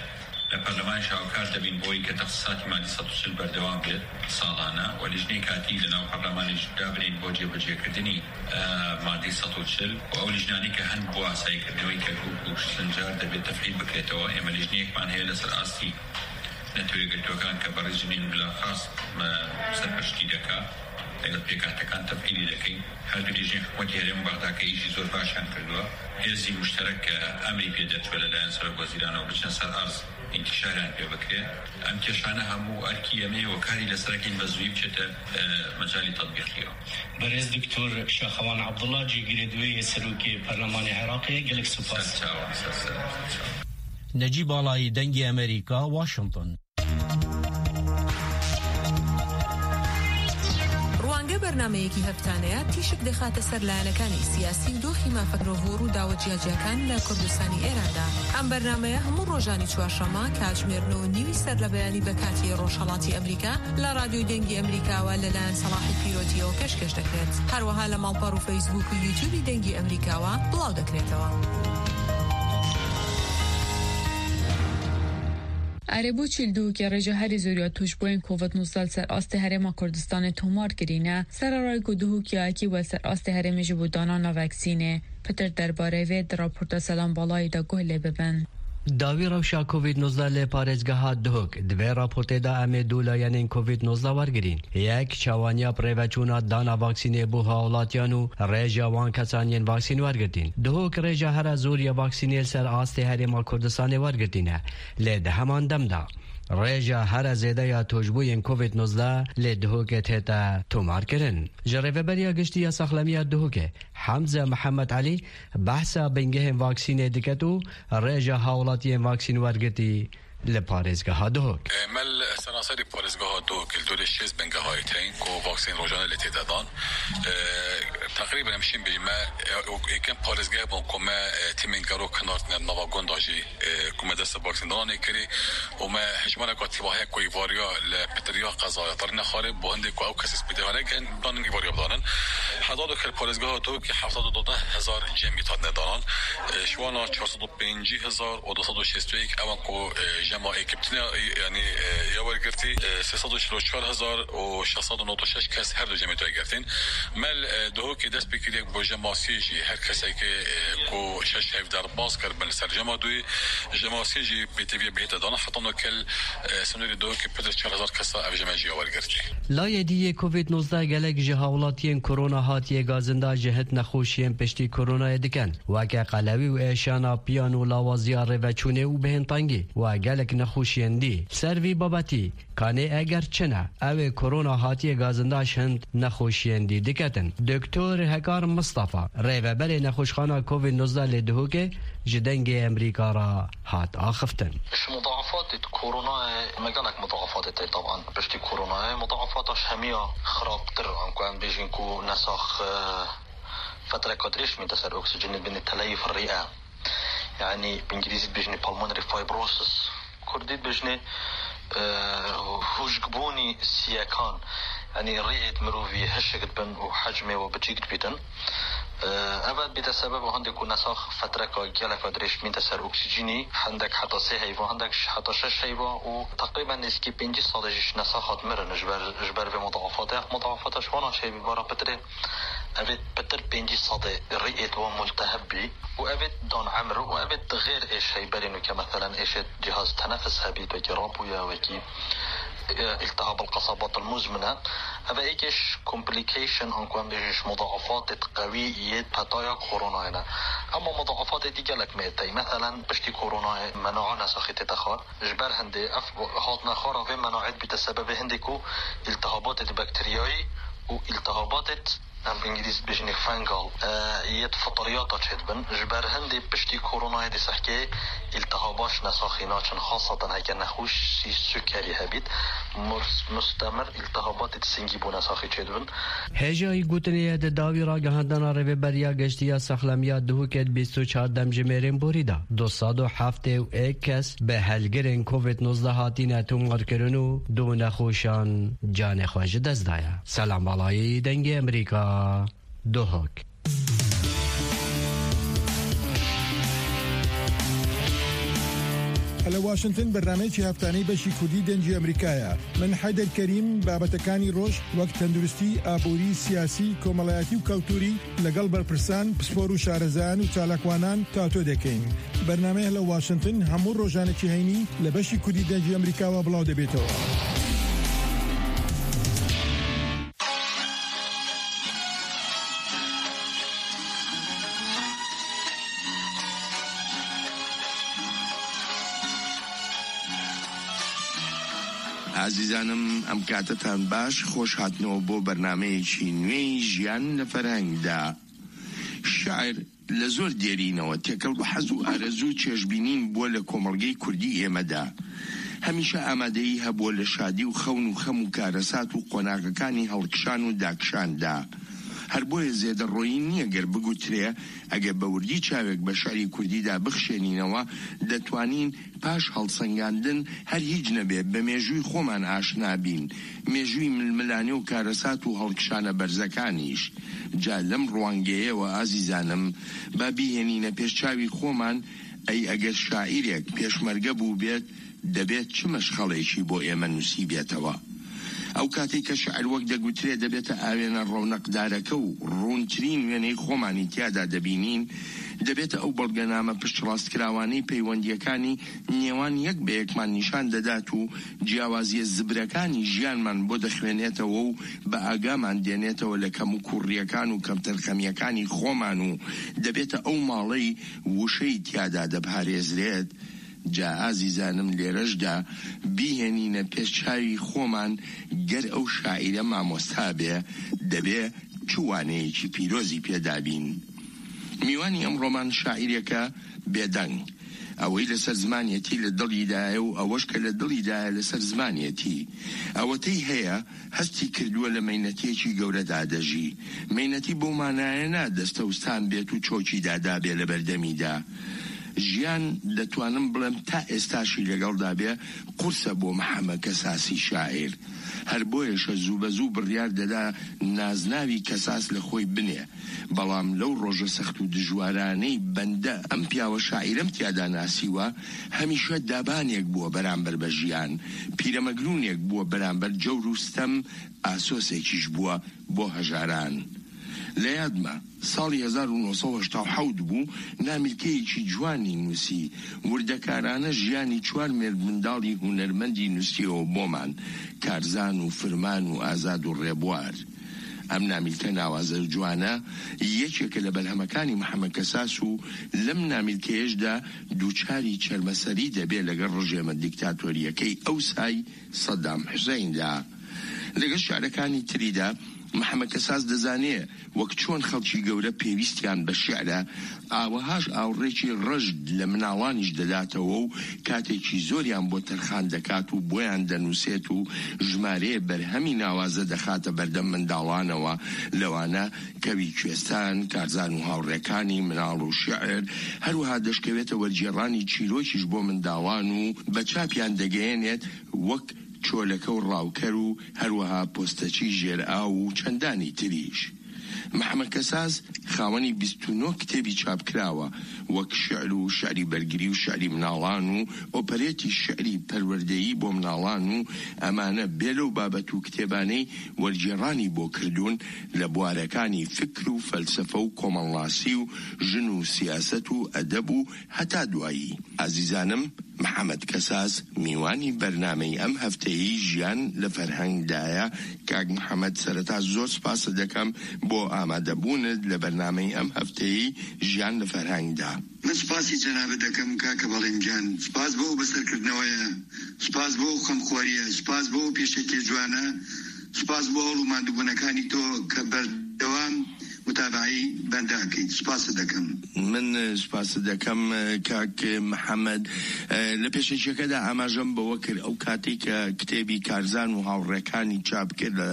Li perlemanê şawkar dibîn bo wê ke texsîsatî madî sed û çil berdewam bê salane û lijneyê katî li nav perlemanê jî dabinên bo cêbecêkirdinî, e, madî sed û çil û ew lijnanê ke hin bo asayîkirdinê wê Kerkûk û Sincar dibê tefîl bikrêtewê. Ême lijneyekman heye li ser astî Neteweyê Yekgirtûekan ke berî jinên bilaxas, e, serpeştî dike. Lêgel pêkhatekan tefîlî dikeyn. Her du lijneyên hikûmetê herêm û Bexda ke îşî zor baş han kirduwe. Hêzî muşterek ke emrî pê derçûye li layen serokwezîran û biçine ser erz, întîşariyan pê bikire. Em kêşane hemû erkî em ê û karî li ser kên bi zûyî biçête, e, mecalî tetbîqî ye. Berêz Doktor Şaxewan Abdullah, cîgirê duwê yê Serokê Perlemanê Iraqê, gelek spas. Ser çavan, ser ser, ser çavan. Necîb Alayî, Dengê Amerîka, Washington. ڕوانگە بەرنامەیەکی هەفتانەیە تیشک دەخاتە سەر لایەنەکانی سیاسی و دۆخی مافە مرۆڤ و ڕووداوە جیاجیاکان لە کوردستانی ئێراندا. ئەم بەرنامەیە هەموو ڕۆژانی چوارشەممە کاتژمێر نۆ و نیوی سەر لە بەیانی بە کاتی ڕۆژهەڵاتی ئەمریکا لە ڕادیۆی دەنگی ئەمریکاوە لەلایەن سەڵاحی پیرۆتیەوە پێشکەش دەکرێت. هەروەها لە ماڵپەڕ و فەیسبوک و یوتیوبی دەنگی ئەمریکاوە بڵاو دەکرێتەوە. ئەرێ بۆ چیل دووکێ ڕێژە هەری زۆریا توشبووین کۆڤد نوزدە سەر ئاستێ هەرێما کوردستانێ تۆمار کرینە، سەرەڕای کو دووکیایەکی وە سەر ئاستێ هەرێمێ ژی بۆ دانانا ڤەکسینێ. پتر دەربارەی ڤێ دە راپۆرتە سەلام باڵایی دا گوه لێ ببن. Dawî rewşa Covid nozdeh li parêzgeha Duhok. Di vê raportê de em ê du layenên Covid nozdeh wergirîn. Yek, çawaniya bi rêveçûna dana vaksînê bo hawlatiyan û rêja wan kesan yên vaksîn wergirtîn. Duhok rêja here zor ya vaksînê li ser astê Herêma Kurdistanê wergirtîne. Lê di heman dem de rêja here zêde ya tûşbûyên Covid nozdeh lê Duhokê tête tomarkirin. Ji Rêveberiya Giştî ya Saxlemiya Duhokê, Hemze Mihemed Elî, behsa bingehên vaksînê diket û rêja hawlatiyên vaksîn wergirtî li parêzgeha Duhok. E, me li seranserî parêzgeha Duhok li dorê şêst bingehayê teyîn ku vaksîn rojane lê tê de dan. E, teqrîben em şîn bêjî me, e, û êkem parêzgeh bûn ku me, e, tîmên gero kinartine nava gunda jî, e, ku me dest bi vaksîn dananê kirî û me hejmareka tîma heye ku îvariya li pitiriya qezaya Tarîna Xarê bo hindê ku ew kesê spîdê hene, gen danin îvariya bidanin. Heta do kir parêzgeha Duhokê heft sed û deh hezar cemî hatine danan. E, ji wana çar sed û pêncî hezar û du sed û şêst û yek ewan ku, e, jema êkibtine, e, yanî, e, ya wergirtî, e, sê sed û çil û çar hezar û şeş sed û nod û şeş kes her du cemê tê girtin. Me li, e, Duhokê dest pê kiriye bo jema sê jî her kesekê, e, ku şeş heyv derbas kiribin li ser jema duyê, jema sê jî pêtiviyê bihête dana. Heta no kel, e, sînorê Duhokê pir çar hezar kesa ev jeme jî ya wergirtî. Layê dî yê Covid nozdeh gelek ji hawlatiyên korona hatiye gazinda ji hit nexweşiyên piştî koronayê dikin, weke qelewî û êşana piyan û lawaziya rêveçûnê û bihên tengî û gelek nexweşiyên dî. Ser vî babetî, kanê eger çi ne, ew ê korona hatiye gazinda ji hind nexweşiyên dî diketin. Doktor Hekar Mistefa, rêveberê nexweşxana Covid nozdeh lê Duhokê, ji Dengê Emerîka re hat axiftin. Ji mudaafat Koronayê me gelek mudaafat tê, taban piştî koronayê mudaafata ji hemiya xirabtir, anku em bêjin ku nesax, e, fetreka dirêj mîte ser oksîjenê, dibêne teleyîf rîe. Yani bi îngilîzî dibêjinê pulmonary fibrosis. Kurdî dibêjinê, e, huşkbûnî siyekan. Yani rîêt mirovî hişk dibin û hecmê we biçîk dibîtin. Ev bîte sebeba hindê ku nesax fetreka geleka dirêj mîte ser oksîjînî, hindek heta sê heyva, hindek ji heta şeş heyva û teqrîben nêzîkî pêncî sedî jî ji nesaxat mirin ji ber, ji ber vê mudaafate. Ev mudaafata ji wana şevî bara pitirê, ev ê pitir pêncî sedî rîêt wan multeheb bî û ev ê dan emir û ev ê di xêr êş heyberîn û ke meselen êşê cihaz tenefis hebî, wekî rabûye, wekî, e, iltihab el qesabat el muzmine. Ev ê êkê ji complication, anku em bêjin ji mudaafatê qewî yê petaya koronayê ne. Ema mudaafatê dî gelek mê tey. Meselen piştî koronayê mena'a nesaxî tête xwar. Ji ber hindê ev hatine xwara vê menaê dibîte sebebê hindê ku îltihabatê di bakteriyayî û îltihabatê, em bi îngilîzî dibêjinê fungal, e, yê di fitriyata çêdibin. Ji ber hindê piştî koronayê dê sehkê îltihaba ji nesaxî naçin, xaseten heke nexweşî sukerî hebît, murs-, mustemir îltihabatê di singî bo nesaxî çêdibin. Hêjayî gotinê ye di dawî ragihandana Rêveberiya Geştî ya Saxlemiya Duhokê di bîst û çar demjimêrên borî de du sed û heftê û yek kes bi helgirên Covid nozdeh hatine tomarkirin û du nexweşan canê xwe ji dest daye. Selam Balayî, Dengê Emerîka, Duhok. لە واشنگتن بەرنامەیەکی هەفتانەی بەشی کوردی دەنگی ئەمریکایە. من حەیدەر کەریم بابەتەکانی ڕۆژ وەک تەندروستی، ئابووری، سیاسی، کۆمەڵایەتی و کەلتوری لەگەڵ بەرپرسان، پسپۆر و شارەزایان و چالاکوانان تا تۆ دەکەین. بەرنامەیە لە واشنگتن هەموو ڕۆژانێکی هەینی لە بەشی کوردی دەنگی ئەمریکاوە بڵاو دەبێتەوە. ئازیزانم، ئەم کاتتان باش، خۆش هاتنەوە بۆ بەرنامەیەکی نوێی ژیان لە فەرهەنگدا. شاعر لە زۆر دێرینەوە تێکەڵ بە حەز و ئارەزوو و چێژبینین بووە لە کۆمەڵگەی کوردی ئێمەدا. هەمیشە ئامادەیی هەبووە لە شادی و خەون و خەم و کارەسات و قۆناغەکانی هەڵکشان و داکشاندا. هەر بۆیە زێدەڕۆیی نییە گەر بگوترێ، ئەگەر بە وردی چاوێک بە شعری کوردیدا بخشێنینەوە، دەتوانین پاش هەڵسەنگاندن هەر هیچ نەبێ، بە مێژووی خۆمان ئاشنا بین، مێژووی ململانێ و کارەسات و هەڵکشانە بەرزەکانیش. جا لەم ڕوانگەیەوە، ئازیزانم، با بیهێنینە پێش چاوی خۆمان، ئەی ئەگەر شاعیرێک پێشمەرگە بوو بێت، دەبێت چ مەشخەڵێکی بۆ ئێمە نووسیبێتەوە؟ ئەو کاتێک کە شعر وەک دەگوترێ دەبێتە ئاوێنە ڕەونەقدارەکە و ڕوونترین وێنەی خۆمانی تیادا دەبینین، دەبێتە ئەو بەڵگەنامە پشتڕاستکراوانەی پەیوەندیەکانی نێوان یەک بە یەکمان نیشان دەدات و جیاوازیە زبرەکانی ژیانمان بۆ دەخوێنێتەوە و بە ئاگامان دێنێتەوە لە کەم و کوڕیەکان و کەمتەرخەمیەکانی خۆمان و دەبێتە ئەو ماڵەی وشەی تیادا دەپارێزرێت. جا ئازیزانم، لێرەشدا بیهێنینە پێش چاوی خۆمان، گەر ئەو شاعیرە مامۆستا بێ، دەبێ چ وانەیەکی پیرۆزی پێدابین. میوانی ئەم ڕۆمان شاعیرێکە بێدەنگ. ئەوەی لەسەر زمانیەتی لە دڵیدایە و ئەوەش کە لە دڵیدایە لەسەر زمانیەتی. ئەوەتەی هەیە، هەستی کردووە لە مەینەتیەکی گەورەدا دەژی. مەینەتی بۆ مانایە نادەستەوستان بێت و چۆکی دادابێ لە بەردەمیدا. ژیان، دەتوانم بڵێم، تا ئێستاشی لەگەڵدا بێ، قورسە بۆ محەممەد کەساسی شاعیر. هەر بۆیەشە زوو بە زوو بڕیار دەدا نازناوی کەساس لە خۆی بنێ. بەڵام لەو ڕۆژە سەخت و دژوارانەی بەندە ئەم پیاوە شاعیرەم تیادا ناسیوە، هەمیشە دابانێک بووە بەرامبەر بە ژیان، پیرەمەگرونێک بووە بەرامبەر جەور و ستەم، ئاسۆسێکیش بووە بۆ هەژاران. لە یادمە، ساڵی هەزار و نۆ سەد و هەشتا و حەوت بوو، نامیلکەیەکی جوانی نووسی، وردەکارانە ژیانی چوار مێرد منداڵی هونەرمەندی نووسیەوە بۆمان، کارزان و فرمان و ئازاد و ڕێبوار. ئەم نامیلکە ناوازە و جوانە یەکێکە لە بەرهەمەکانی محەممەد کەساس و لەم نامیلکەیەشدا دووچاری چەرمەسەری دەبێ لەگەڵ ڕژێمە دیکتاتۆریەکەی ئەوسای سەدام حوسەیندا. لەگەڵ شعرەکانی تریدا، محەممەد کەساس دەزانێ وەک چۆن خەڵکی گەورە پێویستیان بە شعرە، ئاوەهاش ئاوڕێکی ڕژد لە مناڵانیش دەداتەوە و کاتێکی زۆریان بۆ تەرخان دەکات و بۆیان دەنووسێت و ژمارەیە بەرهەمی ناوازە دەخاتە بەردەم منداڵانەوە، لەوانە کەوی کوێستان، کارزان و هاوڕێکانی، مناڵ و شعر، هەروەها دەشکەوێتە وەرگێڕانی چیرۆکیش بۆ منداڵان و بە چاپیان دەگەیەنێت وەک چۆلەکە و ڕاوکەر و هەروەها پۆستەچی ژێرئاو و چەندانی تریش. محەممەد کەساس خاوەنی بیست و نۆ کتێبی چاپکراوە، وەک شعر و شعری بەرگری و شعری مناڵان و ئۆپەرێتی شعری پەروەردەیی بۆ مناڵان و ئەمانە بێ لەو بابەت و کتێبانەی وەرگێڕانی بۆ کردوون لە بوارەکانی فکر و فەلسەفە و کۆمەڵناسی و ژن و سیاسەت و ئەدەب و هەتا دوایی. ئازیزانم، محەممەد کەساس میوانی بەرنامەی ئەم هەفتەیەی ژیان لە فەرهەنگدایە. کاک محەممەد، سەرەتا زۆر سپاست دەکەم بۆ ئامادەبوونت لە بەرنامەی ئەم هەفتەیەی ژیان لە فەرهەنگدا. من سپاسی جەنابت دەکەم، کاکە بەڵێن گیان. سپاس بۆ ئەو بەسەرکردنەوەیە، سپاس بۆ ئەو خەمخۆریە، سپاس بۆ ئەو پێشەکیە جوانە، سپاس بۆ هەوڵ و ماندووبوونەکانی تۆ کە بەردەوام متابعەی بەندە ئەکەیت. سپاست دەکەم. من سپاست دەکەم، کاک محەممەد. لە پێشەکیەکەدا ئاماژەم بەوە کرد، ئەو کاتێک کە کتێبی کارزان و هاوڕێکانی چاپ کرد لە،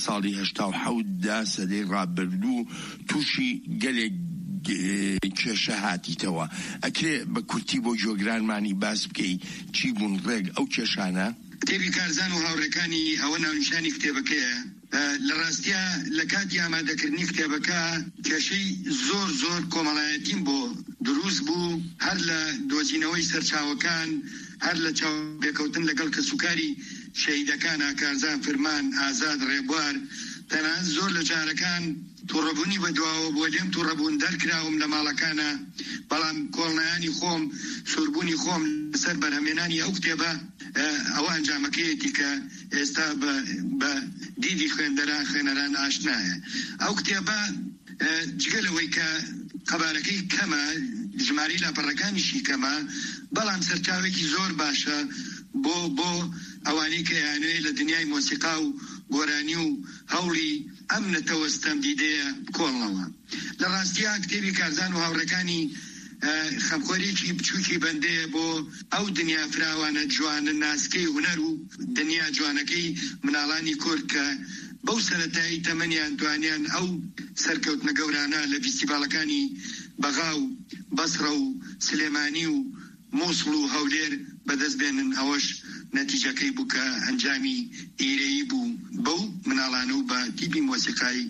ساڵی هەشتا و حەوت دا، سەدەی ڕابردوو، تووشی گەلێک، کێشە هاتیتەوە. ئەکرێ بە کورتی بۆ جۆگرانمانی باس بکەی، چی بوون ڕێک ئەو کێشانە؟ کتێبی کارزان و هاوڕێکانی، ئەوە ناونیشانی کتێبەکەیە. ئە، لە ڕاستیە لە کاتی ئامادەکردنی کتێبەکە کێشەی زۆر زۆر کۆمەڵایەتیم بۆ دروست بوو، هەر لە دۆزینەوەی سەرچاوەکان، هەر لە چاو پێکەوتن لەگەڵ کەسوکاری شەهیدەکان، ئاکارزان، فرمان، ئازاد، ڕێبوار، تەنانەت زۆر لە جارەکان تووڕەبوونی بە دواوە بۆ لێم تووڕەبوون دەرکراوم لە ماڵەکانە، بەڵام کۆڵنایانی خۆم، سووربوونی خۆم لەسەر بەرهەمێنانی ئەو کتێبە، ئە، ئەوە ئەنجامەکەیەتی کە ئێستا بە، بە دیدی خوێندەران، خوێنەران ئاشنایە. ئەو کتێبە، ئە، جگە لەوەی کە قەبارەکەی کەمە، ژمارەی لاپەڕەکانیشی کەمە، بەڵام سەرچاوێکی زۆر باشە بۆ، بۆ ئەوانەی کە یانوێ لە دنیای مۆسیقا و گۆرانی و هەوڵی ئەم نەتەوە ستەمدیدەیە بکۆڵنەوە. لە ڕاستیە کتێبی کارزان و هاوڕێکانی، ئە، خەمخۆریەکی بچووکی بەندەیە بۆ ئەو دنیا فراوانە جوانە ناسکەی هونەر و دنیا جوانەکەی مناڵانی کورد کە بەو سەرەتایی تەمەنیان توانیان ئەو سەرکەوتنە گەورانە لە فیستیڤاڵەکانی بەغا و بەسڕە و سلێمانی و موسڵ و هەولێر بەدەست بێنن. ئەوەش نەتیجەکەی بوو کە ئەنجامی ئیرەیی بوو بەو مناڵانە و بە تیپی مۆسیقای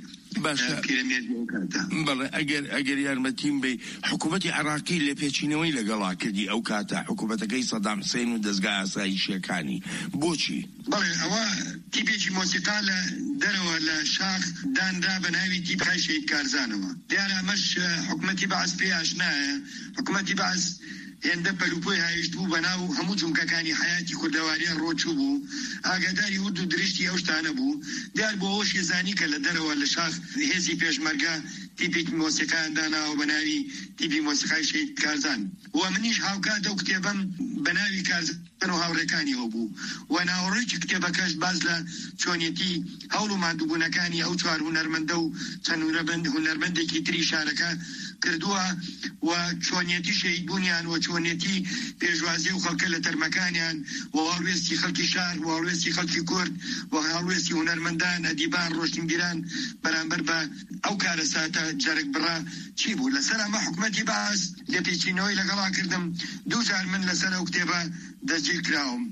باشە. ئە، پیرەمێردی ئەو کاتە. بەڵێ، ئەگەر، ئەگەر یارمەتیم بی، حکوومەتی عێراقی لێپێچینەوەی لەگەڵا کردی ئەو کاتە، حکوومەتەکەی سەدام حسێن و دەستگا ئاسایشیەکانی. بۆچی؟ بەڵێ، ئەوە تیپێکی مۆسیقا لە دەرەوە لە شاخ دانرا بە ناوی تیپخای شەهید کارزانەوە. دیارە ئەمەش، ئە، حکوومەتی بەعس پێ ئاشنایە. حکوومەتی بەعس هێندە پەلوپۆی هاویشت بوو بە ناو هەموو جومکەکانی حیاتی کوردەواریان ڕۆچوو بوو. ئاگاداری ورد و درشتی ئەو شتانە بوو. دیار بۆ ئەوەش یەزانی کە لە دەرەوە لە شاخ هێزی پێشمەرگە تیپێکی مۆسیقایان داناوە بە ناوی تیپی مۆسیقای شەهید کارزان. و منیش هاوکات ئەو کتێبەم بە ناوی کارزان و هاوڕێکانی ئەو بوو. و ناوەڕۆکی کتێبەکەش باز لە چۆنیەتی هەوڵ و ماندووبوونەکانی ئەو چوار هونەرمەندە و چەند هونەرمەند-، هونەرمەندێکی تری شارەکە کردووە و چۆنیەتی شەهیدبوونیان و چۆنیەتی پێشوازی و خەڵکە لە تەرمەکانیان و هەڵوێستی خەڵکی شار و هەڵوێستی خەڵکی کورد و هەڵوێستی هونەرمەندان، ئەدیبان، ڕۆشنبیران بەرامبەر بە ئەو کارەساتە جەرگ بڕە چی بوو. لەسەر ئەمە حکوومەتی بەعس لێپێچینەوەی لەگەڵا کردم. دوو جار من لەسەر ئەو کتێبە دەستگیر کراوم.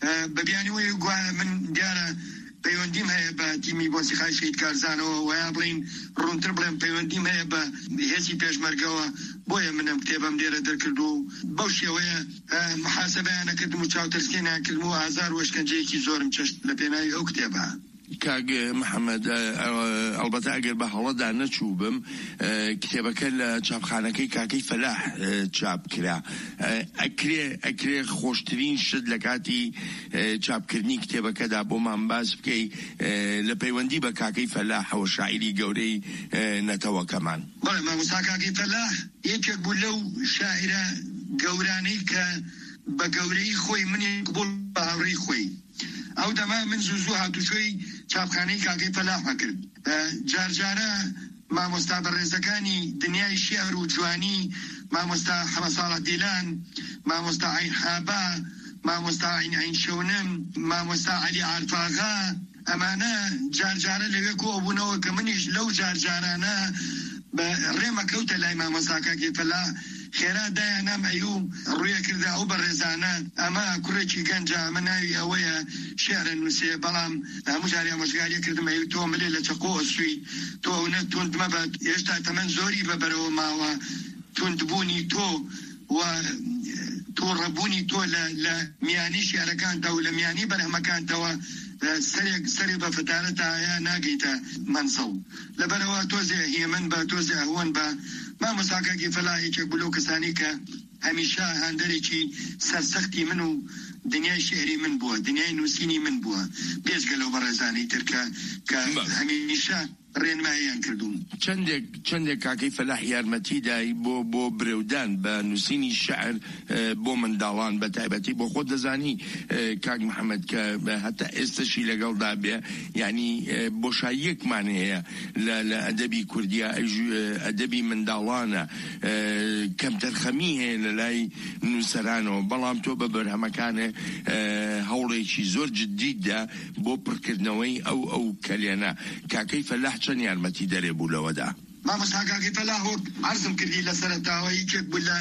ئە، بە بیانی وی گوایە من دیارە پەیوەندیم هەیە بە تیمی مۆسیقای شەهید کارزانەوە، و یا بڵین، ڕوونتر بڵێم، پەیوەندیم هەیە بە هێزی پێشمەرگەوە، بۆیە من ئەم کتێبەم لێرە دەرکردووە و بەو شێوەیە، ئە، محاسبەیان نەکردم و چاوترسێنیان کردم و ئازار و ئەشکەنجەیەکی زۆرم چەشت لە پێناوی ئەو کتێبە. کاک محەممەد، ئە، ئە، ئەڵبەتە ئەگەر بە هەڵەدا نەچوو بم، ئە، کتێبەکە لە چاپخانەکەی کاکەی فەلاح، ئە، چاپ کرا. ئە، ئەکرێ، ئەکرێ خۆشترین شت لە کاتی، ئە، چاپکردنی کتێبەکەدا بۆمان باس بکەی، ئە، لە پەیوەندی بە کاکەی فەلاحەوە، شاعیری گەورەی، ئە، نەتەوەکەمان. بەڵێ، مامۆستا کاکەی فەلاح یەکێک بوو لەو شاعیرە گەورانەی کە بە گەورەی خۆی منی قبول بە هاوڕێی خۆی. ئەو دەما من زوو زوو هاتوچۆی چاپخانەی کاکەی فەلاح ئەکرد. ئە، جارجارە مامۆستا بەڕێزەکانی دنیای شیعر و جوانی، مامۆستا حەمە ساڵح دیلان، مامۆستا عین حابا، مامۆستا عین عین شەونم، مامۆستا عەلی عارفاغا، ئەمانە جارجارە لەوێ کۆ بوونەوە کە منیش لەو جارجارانە بە ڕێمە کەوتە لای مامۆستا کاکەی فەلاح. خێرا دایانام ئەیوم ڕوویە کردە ئەو بەڕێزانە. ئەمە کوڕێکی گەنجە، ئەمە ناوی ئەوەیە شعرە نووسێ، بەڵام هەموو جاری ئامۆژگاریە کردم، ئەیو تۆ ملێ لە چەقۆ ئەسووی، تۆ ئەو نە توند مەبە، هێشتا تەمەن زۆری بە بەرەوە ماوە. توندبوونی تۆ و تووڕەبوونی تۆ لە، لە میانی شعرەکاندا و لە میانی بەرهەمەکانتەوە، ئە، سەرێک، سەرێ بە فەتارەتە یا ناگەیتە مەنزڵ. لەبەرەوە تۆزێ هێمن بە، تۆزێ ئەهوەن بە. مامۆستا کاکی فەلاح یەکێک بوو لەو کەسانی کە هەمیشە هاندەرێکی سەرسەختی من و دنیای شعری من بووە، دنیای نووسینی من بووە، پێش گەلە و بەڕێزانی تر کە، کە بەڵێ. هەمیشە ڕێنماییان کردووم. چەندێک، چەندێک کاکەی فەلاح یارمەتی دای بۆ، بۆ برەودان بە نووسینی شعر، ئە، بۆ منداڵان بە تایبەتی. بۆ خۆت دەزانی، ئە، کاک محەممەد، کە هەتا ئێستەشی لەگەڵدا بێ، یعنی، ئە، بۆشاییەکمان هەیە لە، لە ئەدەبی کوردیا، ئە، ژو-، ئە، ئەدەبی منداڵانە، ئە، کەمتەرخەمی هەیە لە لای نووسەرانەوە، بەڵام تۆ بە بەرهەمەکانێ، ئە، هەوڵێکی زۆر جددی دا بۆ پڕکردنەوەی ئەو، ئەو کەلێنە. کاکەی فەلاح چەند یارمەتی دەرێ بوو لەوەدا؟ مامۆستا کاکەی فەلاح، وەک عەرزم کردی لە سەرەتاوە، یەکێک بوو لە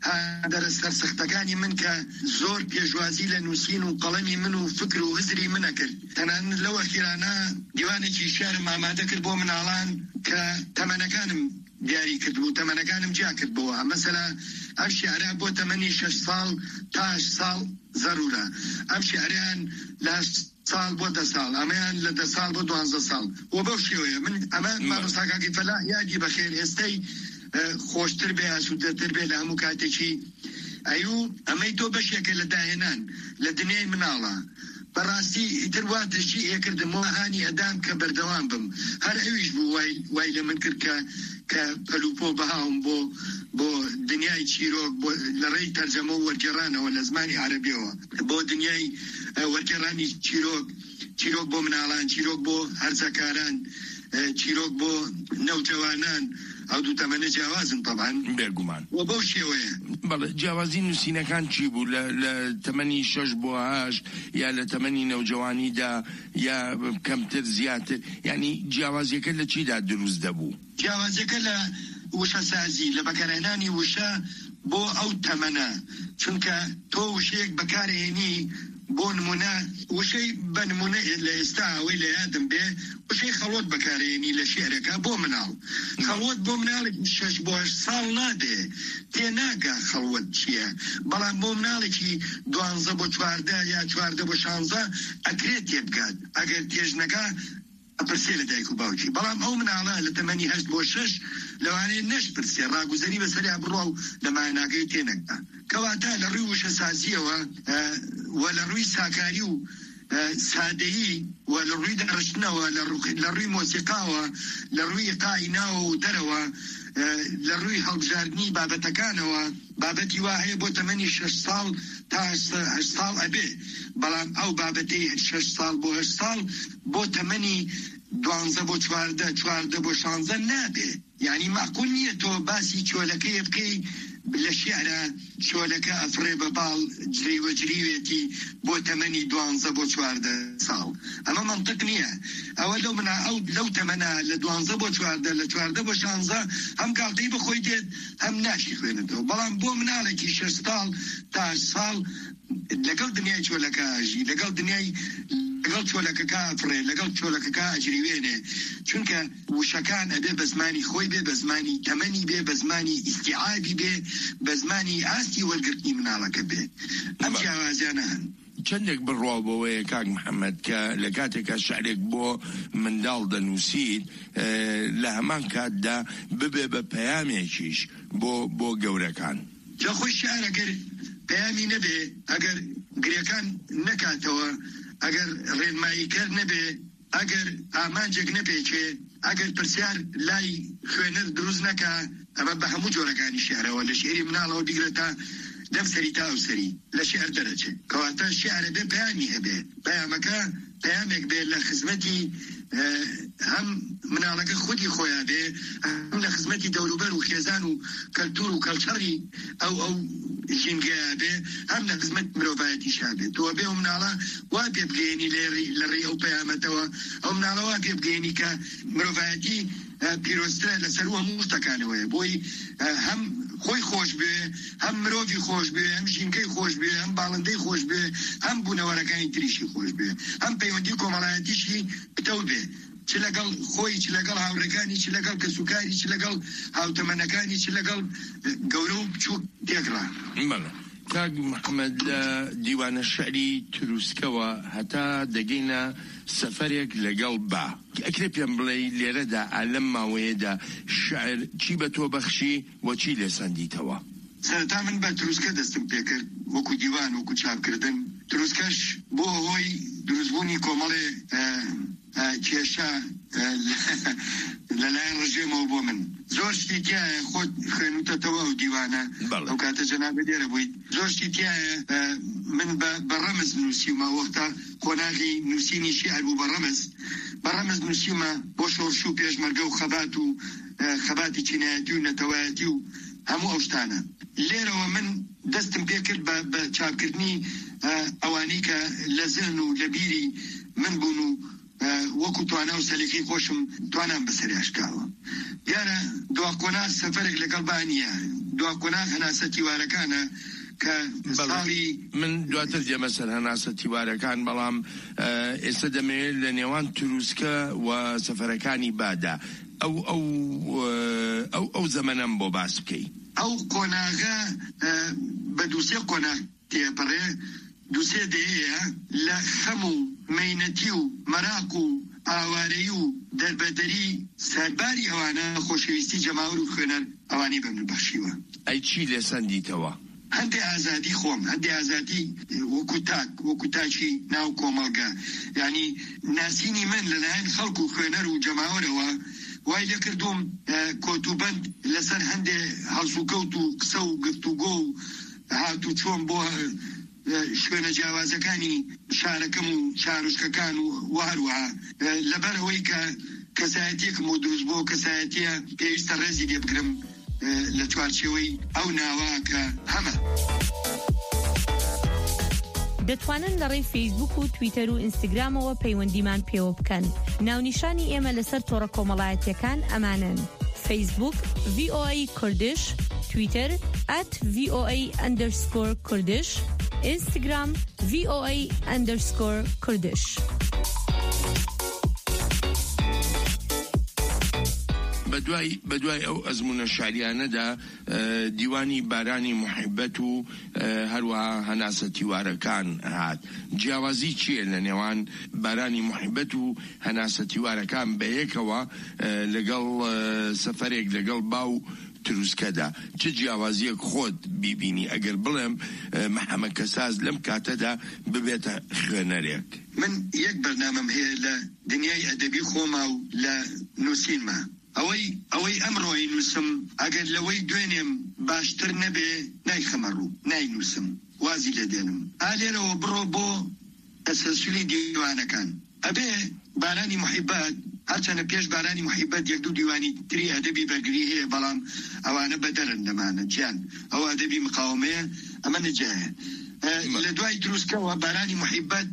هاندەرە سەرسەختەکانی من کە زۆر پێشوازی لە نووسین و قەڵەمی من و فکر و هزری منە کرد. تەنانەت لەو ئەخیرانە دیوانێکی شعرم ئامادە کرد بۆ مناڵان کە تەمەنەکانم دیاری کردبوو، تەمەنەکانم جیا کردبووە. مەسەلا ئەم شعرە بۆ تەمەنی شەش ساڵ تا هەشت ساڵ زەرورە. ئەم شعریان لە هەشت ساڵ بۆ دە ساڵ، ئەمەیان لە دە ساڵ بۆ دوانزە ساڵ. و بەو شێوەیە من ئەمە بەڵێ. مامۆستا کاکی فەلاح یادی بەخێر ئێستەی، ئە، خۆشتر بێ، ئاسوودەتر بێ لە هەموو کاتێکی. ئەیوو، ئەمەی تۆ بەشێکە لە داهێنان لە دنیای مناڵە. بەڕاستی ئیتر وا تەشجیعێ کردم، وا هانی ئەدام کە بەردەوام بم. هەر ئەویش بوو وای، وای لە من کرد کە، کە پەلوپۆ بهاوم بۆ، بۆ دنیای چیرۆک، بۆ لە ڕێی تەرجەمە و وەرگێڕانەوە لە زمانی عەرەبیەوە، بۆ دنیای، ئە، وەرگێڕانی چیرۆک، چیرۆک بۆ مناڵان، چیرۆک بۆ هەرزەکاران، ئە، چیرۆک بۆ نەوجەوانان. ئەو دوو تەمەنە جیاوازن تەبعەن. بێگومان. و بەو شێوەیە. بەڵێ، جیاوازی نووسینەکان چی بوو؟ لە، لە تەمەنی شەش بۆ هەشت یا لە تەمەنی نەوجەوانیدا یا کەمتر زیاتر؟ یعنی جیاوازیەکە لە چیدا دروست دەبوو؟ جیاوازیەکە لە وشەسازی، لە بەکارهێنانی وشە بۆ ئەو تەمەنە. چونکە تۆ وشەیەک بەکارهێنی بۆ نمونە، وشەی بە نمونە لە ئێستا ئەوەی لە یادم بێ، وشەی خەڵوەت بەکارێنی لە شیعرەکە بۆ مناڵ. خەڵوەت بۆ مناڵێکی شەش بۆ هەشت ساڵ نابێ، تێناگا خەڵوەت چییە. بەڵام بۆ مناڵێکی دوانزە بۆ چواردە یا چواردە بۆ شانزە ئەکرێت تێبگات. ئەگەر تێژنەگا، ئەپرسێ لە دایک و باوکی. بەڵام ئەو مناڵە لە تەمەنی هەشت بۆ شەش لەوانەیە نەشپرسێ، ڕاگوزەری بەسەریا بڕوا و لە ماناگەی تێنەگا. کەواتە لە ڕووی وشەسازیەوە، ئە، و لە ڕووی ساکاری و، ئە، سادەیی و لە ڕووی دەڕشتنەوە، لە ڕوو-، لە ڕووی مۆسیقاوە، لە ڕووی ئیقاعی ناوە و دەرەوە، ئە، لە ڕووی هەڵبژاردنی بابەتەکانەوە، بابەتی وا هەیە بۆ تەمەنی شەش ساڵ تا هەشت سا-، هەشت ساڵ ئەبێ، بەڵام ئەو بابەتەی شەش ساڵ بۆ هەشت ساڵ بۆ تەمەنی دوانزە بۆ چواردە، چواردە بۆ شانزە نابێ. یعنی، مەعقول نییە تۆ باسی چۆلەکەی بکەی لە شیعرە، چۆلەکە ئەفڕێ بە باڵ، جلەی وەجریوێتی بۆ تەمەنی دوانزە بۆ چواردە ساڵ. ئەمە مەنتق نییە. ئەوە لەو منا-، ئەو لەو تەمەنە، لە دوانزە بۆ چواردە، لە چواردە بۆ شانزە، هەم گاڵتەی بەخۆی دێت، هەم ناشی خوێنێتەوە. بەڵام بۆ مناڵێکی شەش ساڵ تا هەشت ساڵ، لەگەڵ دنیای چۆلەکە ئەژی، لەگەڵ دنیای، لەگەڵ چۆلەکەکە ئەفڕێ، لەگەڵ چۆلەکەکە ئەجریوێنێ. چونکە وشەکان ئەبێ بە زمانی خۆی بێ، بە زمانی تەمەنی بێ، بە زمانی ئیستیعابی بێ، بە زمانی ئاستی وەرگرتنی مناڵەکە بێ. ئەم بە- جیاوازیانە هەن. چەندێک بڕواو بەوەیە، کاک محەممەد، کە لە کاتێکا شعرێک بۆ منداڵ دەنووسیت، ئە، لە هەمان کاتدا ببێ بە پەیامێکیش بۆ، بۆ گەورەکان. جا خۆی شیعر ئەگەر پەیامی نەبێ، ئەگەر گرێکان نەکاتەوە، ئەگەر ڕێنماییکەر نەبێ، ئەگەر ئامانجێک نەپێکێ، ئەگەر پرسیار لای خوێنەر دروست نەکا، ئەمە بە هەموو جۆرەکانی شیعرەوە، لە شیعری مناڵەوە بیگرە تا لەم سەری تا ئەو سەری، لە شیعر دەرەچێ. کەواتە شیعرە بێ پەیامی هەبێ. پەیامەکە پەیامێک بێ لە خزمەتی، ئە، هەم مناڵەکە خودی خۆیا بێ، هەم لە خزمەتی دەوروبەر و خێزان و کەلتور و کەلچەڕی ئەو، ئەو ژینگەیە بێ، هەم لە خزمەت مرۆڤایەتیشا بێ. تۆ بێ ئەو مناڵە وا پێ بگەیەنی لە ڕێی، لە ڕێی ئەو پەیامەتەوە، ئەو مناڵە وا پێ بگەیەنی کە مرۆڤایەتی، ئە، پیرۆزترە لەسەر هەموو شتەکانەوەیە. بۆی، ئە، هەم خۆی خۆش بێ، هەم مرۆڤی خۆش بێ، هەم ژینگەی خۆش بێ، هەم باڵندەی خۆش بێ، هەم بوونەوەرەکانی تریشی خۆش بێ، هەم پەیوەندی کۆمەڵایەتیشی پتەو بێ، چ لەگەڵ خۆی، چ لەگەڵ هاوڕێکانی، چ لەگەڵ کەسوکاری، چ لەگەڵ هاوتەمەنەکانی، چ لەگەڵ، ئە، گەورە و بچووک تێکڕا. بەڵێ. کاک محەممەد، لە دیوانە شعری تروسکەوە هەتا دەگەینە سەفەرێک لەگەڵ با، ئەکرێ پێم بڵێ لێرەدا، ئا لەم ماوەیەدا شعر چی بە تۆ بەخشی و چی لێسەندیتەوە؟ سەرەتا من بە تروسکە دەستم پێکرد، وەکو دیوان، وەکو چاپکردن. تروسکەش بۆ هۆی دروستبوونی کۆمەڵێ، ئە، ئە، کێشە، ئە، لە، لەلایەن ڕژێمەوە بۆ من. زۆر شتی تایە، خۆت خوێنوتەتەوە ئەو دیوانە. بەڵێ. ئەو کاتە جەنابە لێرە بوویت. زۆر شتی تایە، ئە، من بە، بە ڕەمز نووسیومە، وەختە قۆناغی نووسینی شیعر بوو بە ڕەمز. بە ڕەمز نووسیومە بۆ شۆڕش و پێشمەرگە و خەبات و، ئە، خەباتی چینایەتی و نەتەوایەتی و هەموو ئەو شتانە. لێرەوە من دەستم پێ کرد بە، بە چاپکردنی، ئە، ئەوانەی کە لە زهن و لە بیری من بوون و، ئە، وەکو توانا و سەلیقەی خۆشم توانام بەسەریاشکاوە. دیارە دوا قۆناغ سەفەرێک لەگەڵ با نییە. دوا قۆناغ هەناسە تیوارەکانە کە بەڵێ. ساڵی من دواتر دێمە سەر هەناسە تیوارەکان، بەڵام، ئە، ئێستا دەمەوێت لە نێوان تروسکە و سەفەرەکانی بادا ئەو، ئەو، ئە، ئەو، ئەو زەمەنەم بۆ باس بکەی. ئەو قۆناغە، ئە، بە دووسێ قۆناغ تێپەڕێ. دووسێ دەیەیە لە خەم و مەینەتی و مەراق و ئاوارەیی و دەربەدەری سەرباری ئەوانە خۆشەویستی جەماوەر و خوێنەر ئەوانەی بە من بەخشیوە. ئەی چی لێسەندیتەوە؟ هەندێ ئازادی خۆم، هەندێ ئازادی وەکو تاک، وەکو تاکی ناو کۆمەڵگە. یعنی، ناسینی من لەلایەن خەڵک و خوێنەر و جەماوەرەوە وای لێ کردووم، ئە، کۆتوبەند لەسەر هەندێ هەڵسوکەوت و قسە و گفتوگۆ و هات و چۆن بۆ، ئە، شوێنە جیاوازەکانی شارەکەم و شارۆچکەکان و، و هەروەها، ئە، لەبەر ئەوەی کە کەسایەتیەکم بۆ دروست بووە، کەسایەتیە پێویستە ڕێزی لێ بگرم، ئە، لە چوارچێوەی ئەو ناوە کە هەمە. دەتوانن لە ڕێی فەیسبوک و تویتەر و ئینستاگرامەوە پەیوەندیمان پێوە بکەن. ناونیشانی ئێمە لەسەر تۆڕە کۆمەڵایەتیەکان ئەمانەن: فەیسبوک، ڤی ئۆ ئەی کوردش، تویتەر، ئەت ڤی ئۆ ئەی ئەندەرسکۆر کوردش، Instagram، V O A underscore Kurdish. بە دوای بە دوای ئەو ئەزمونە شاریانەدا، دیوانی بارانی محیبەت و هەروەها هەناسە تیوارەکان هات. جیاوازی چییە لە نێوان بارانی محیبەت و هەناسە تیوارەکان بەیەکەوە، لەگەڵ سەفەرێک لەگەڵ باو تروسکەدا؟ چ جیاوازیەک خۆت بیبینی ئەگەر بڵێم محەمەد کەساز لەم کاتەدا ببێتە خوێنەرێک؟ من یەک بەرنامەم هەیە لە دنیای ئەدەبی خۆما و لە نووسینما. ئەوەی ئەوەی ئەمڕۆی نووسم، ئەگەر لەوەی دوێنێم باشتر نەبێ، نایخەمە ڕوو، ناینووسم، وازی لێ دێنم. ئا لێرەوە بڕۆ بۆ تەسەلسولی دیوانەکان. ئەبێ بارانی محیبەت، هەرچەنە پێش بارانی محیبەت یەک دوو دیوانی تری ئەدەبی بەرگری هەیە، بەڵام ئەوانە بەدەرن لەمانە جیان. ئەو ئەدەبی مقاومەیە، ئەمە نەجایە. لە دوای تروسکەوە بارانی محیبەت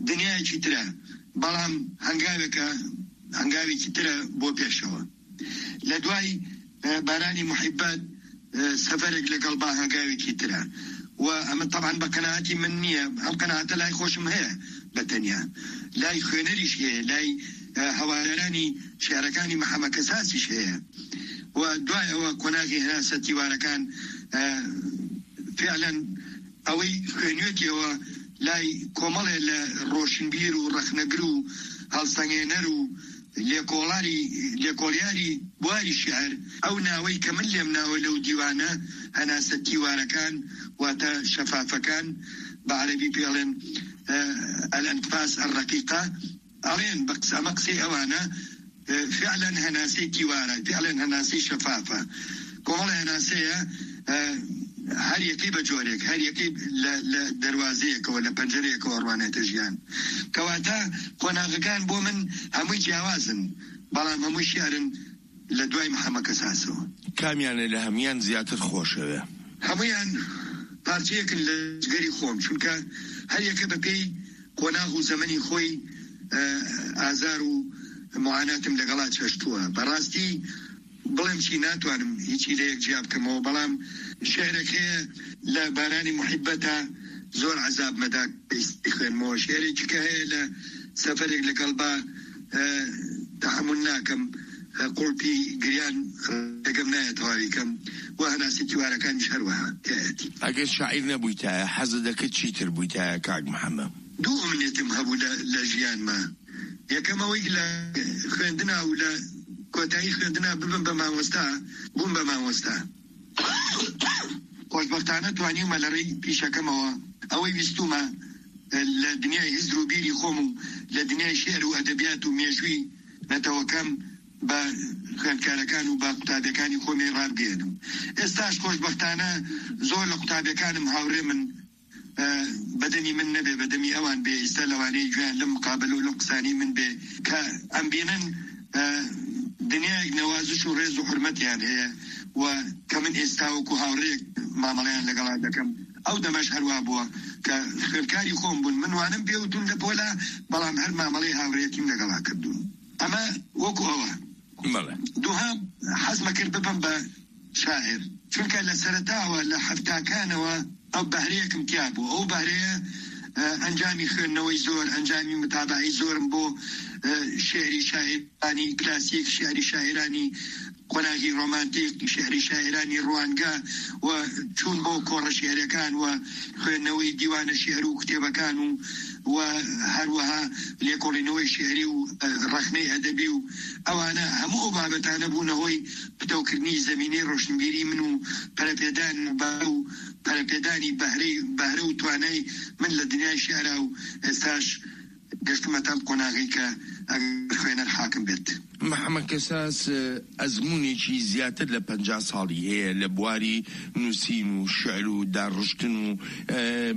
دنیایەکی ترە، بەڵام هەنگاوێکە، هەنگاوێکی ترە بۆ پێشەوە. لە دوای بارانی محیبەت، سەفەرێک لەگەڵ با هەنگاوێکی ترە. و ئەمە تەبعەن بە قەناعەتی من نییە، ئەم قەناعەتە لای خۆشم هەیە بە تەنیا، لای خوێنەریش هەیە، لای هەوادارانی شعرەکانی محەمەد کەساسیش هەیە. و دوای ئەوە قۆناغی هەناسە تیوارەکان، فعلا ئەوەی خوێنوێتیەوە لای کۆمەڵێ لە ڕۆشنبیر و ڕەخنەگر و هەڵسەنگێنەر و لێکۆڵاری لێکۆڵیاری بواری شعر، ئەو ناوەی کە من لێم ناوە لەو دیوانە، هەناسە تیوارەکان، واتە شەفافەکان، بە عەرەبی پێڵێن الأنفاس الرقيقة، ئەڵێن بە قسە، ئەمە قسەی ئەوانە، فعلا هەناسەی تیوارە، فعلا هەناسەی شەفافە. کۆمەڵە هەناسەیە، هەر یەکەی بە جۆرێک، هەر یەکەی لە دەروازەیەکەوە، لە پەنجەرەیەکەوە ڕوانێتە ژیان. کەواتە قۆناغەکان بۆ من هەمووی جیاوازن، بەڵام هەمووی شیعرن لە دوای محەممەد کەساسەوە. کامیانە لە هەمویان زیاتر خۆشەوێ؟ هەمویان پارچەیەکن لە جگەری خۆم، چونکە هەر یەکە بە پێی قۆناغ و زەمەنی خۆی ئازار و معاناتم لەگەڵا چەشتووە. بەڕاستی بڵێم چی ناتوانم هیچی لە یەک جیا بکەمەوە، بەڵام شعرێک هەیە لە بارانی محیبەتە زۆر عەزاب مەدا پێویستی خوێنمەوە. شعرێکی کە هەیە لە سەفەرێک لەگەڵ با تەحەمول ناکەم، قوڵپی گریان ڕێگەم نایە تەواوی کەم و هەناسەی تیوارەکانیش هەروەها هەیەتی. ئەگەر شاعیر نەبوویتایە، حەزت دەکرد چیتر بوویتایە کاک محەممەد؟ دوو ئومنێتم هەبوو لە لە ژیانما. یەکەم ئەوەی لە خوێندنا و لە کۆتایی خوێندنا ببم بە مامۆستا، بووم بە مامۆستا. خۆشبەختانە توانیومە لە ڕێی پیشەکەمەوە ئەوەی ویستومە لە دنیای هزر و بیری خۆم و لە دنیای شعر و ئەدەبیات و مێژووی نەتەوەکەم بە خوێندکارەکان و بە قوتابیەکانی خۆمی ڕابگەێنم. ئێستاش خۆشبەختانە زۆر لە قوتابیەکانم هاوڕێ من، بەدەمی من نەبێ، بەدەمی ئەوان بێ، ئیستا لەوانەیە گوێیان لەم مقابەلە و لەم قسانەی من بێ کە ئەم بینن دنیایەک نەوازش و ڕێز و حرمەتیان هەیە و کە من ئێستا وەکو هاوڕێک مامەڵەیان لەگەڵا دەکەم. ئەو دەمەش هەروە بووە کە خوێندکاری خۆم بوون، من وانم پێوتون لە پۆلا، بەڵام هەر مامەڵەی هاوڕێتیم لەگەڵا کردوون. ئەمە وەکو ئەوە. دوهام، حەزمە کرد ببم بە شاعر، چونکە لە سەرەتاوە لە حەفتاکانەوە ئەو بەهرەیەکم تیا بوو. ئەو بەهرەیە ئەنجامی خوێندنەوەی زۆر، ئەنجامی متابعەی زۆرم بۆ شعری شاعرانی کلاسیک، شعری شاعرانی قۆناغی ڕۆمانتیک، شعری شاعرانی ڕوانگە و چوون بۆ کۆڕە شعرەکان و خوێندنەوەی دیوانە شعر و کتێبەکان و و هەروەها لێکۆڵینەوەی شعری و ڕەخنەی ئەدەبی و ئەوانە هەموو ئەو بابەتانە بوونە هۆی پتەوکردنی زەمینەی ڕۆشنبیری من و پەرەپێدان و بە و پەرەپێدانی بەهرەی بەهرە و توانای من لە دنیای شعرا و ئێستاش گەشتمەتە ئەم قۆناغی کە ئەگەر خوێنەر حاکم بێت. محەممەد کەساس ئەزموونێکی زیاتر لە پەنجا ساڵی هەیە لە بواری نووسین و شعر و داڕشتن و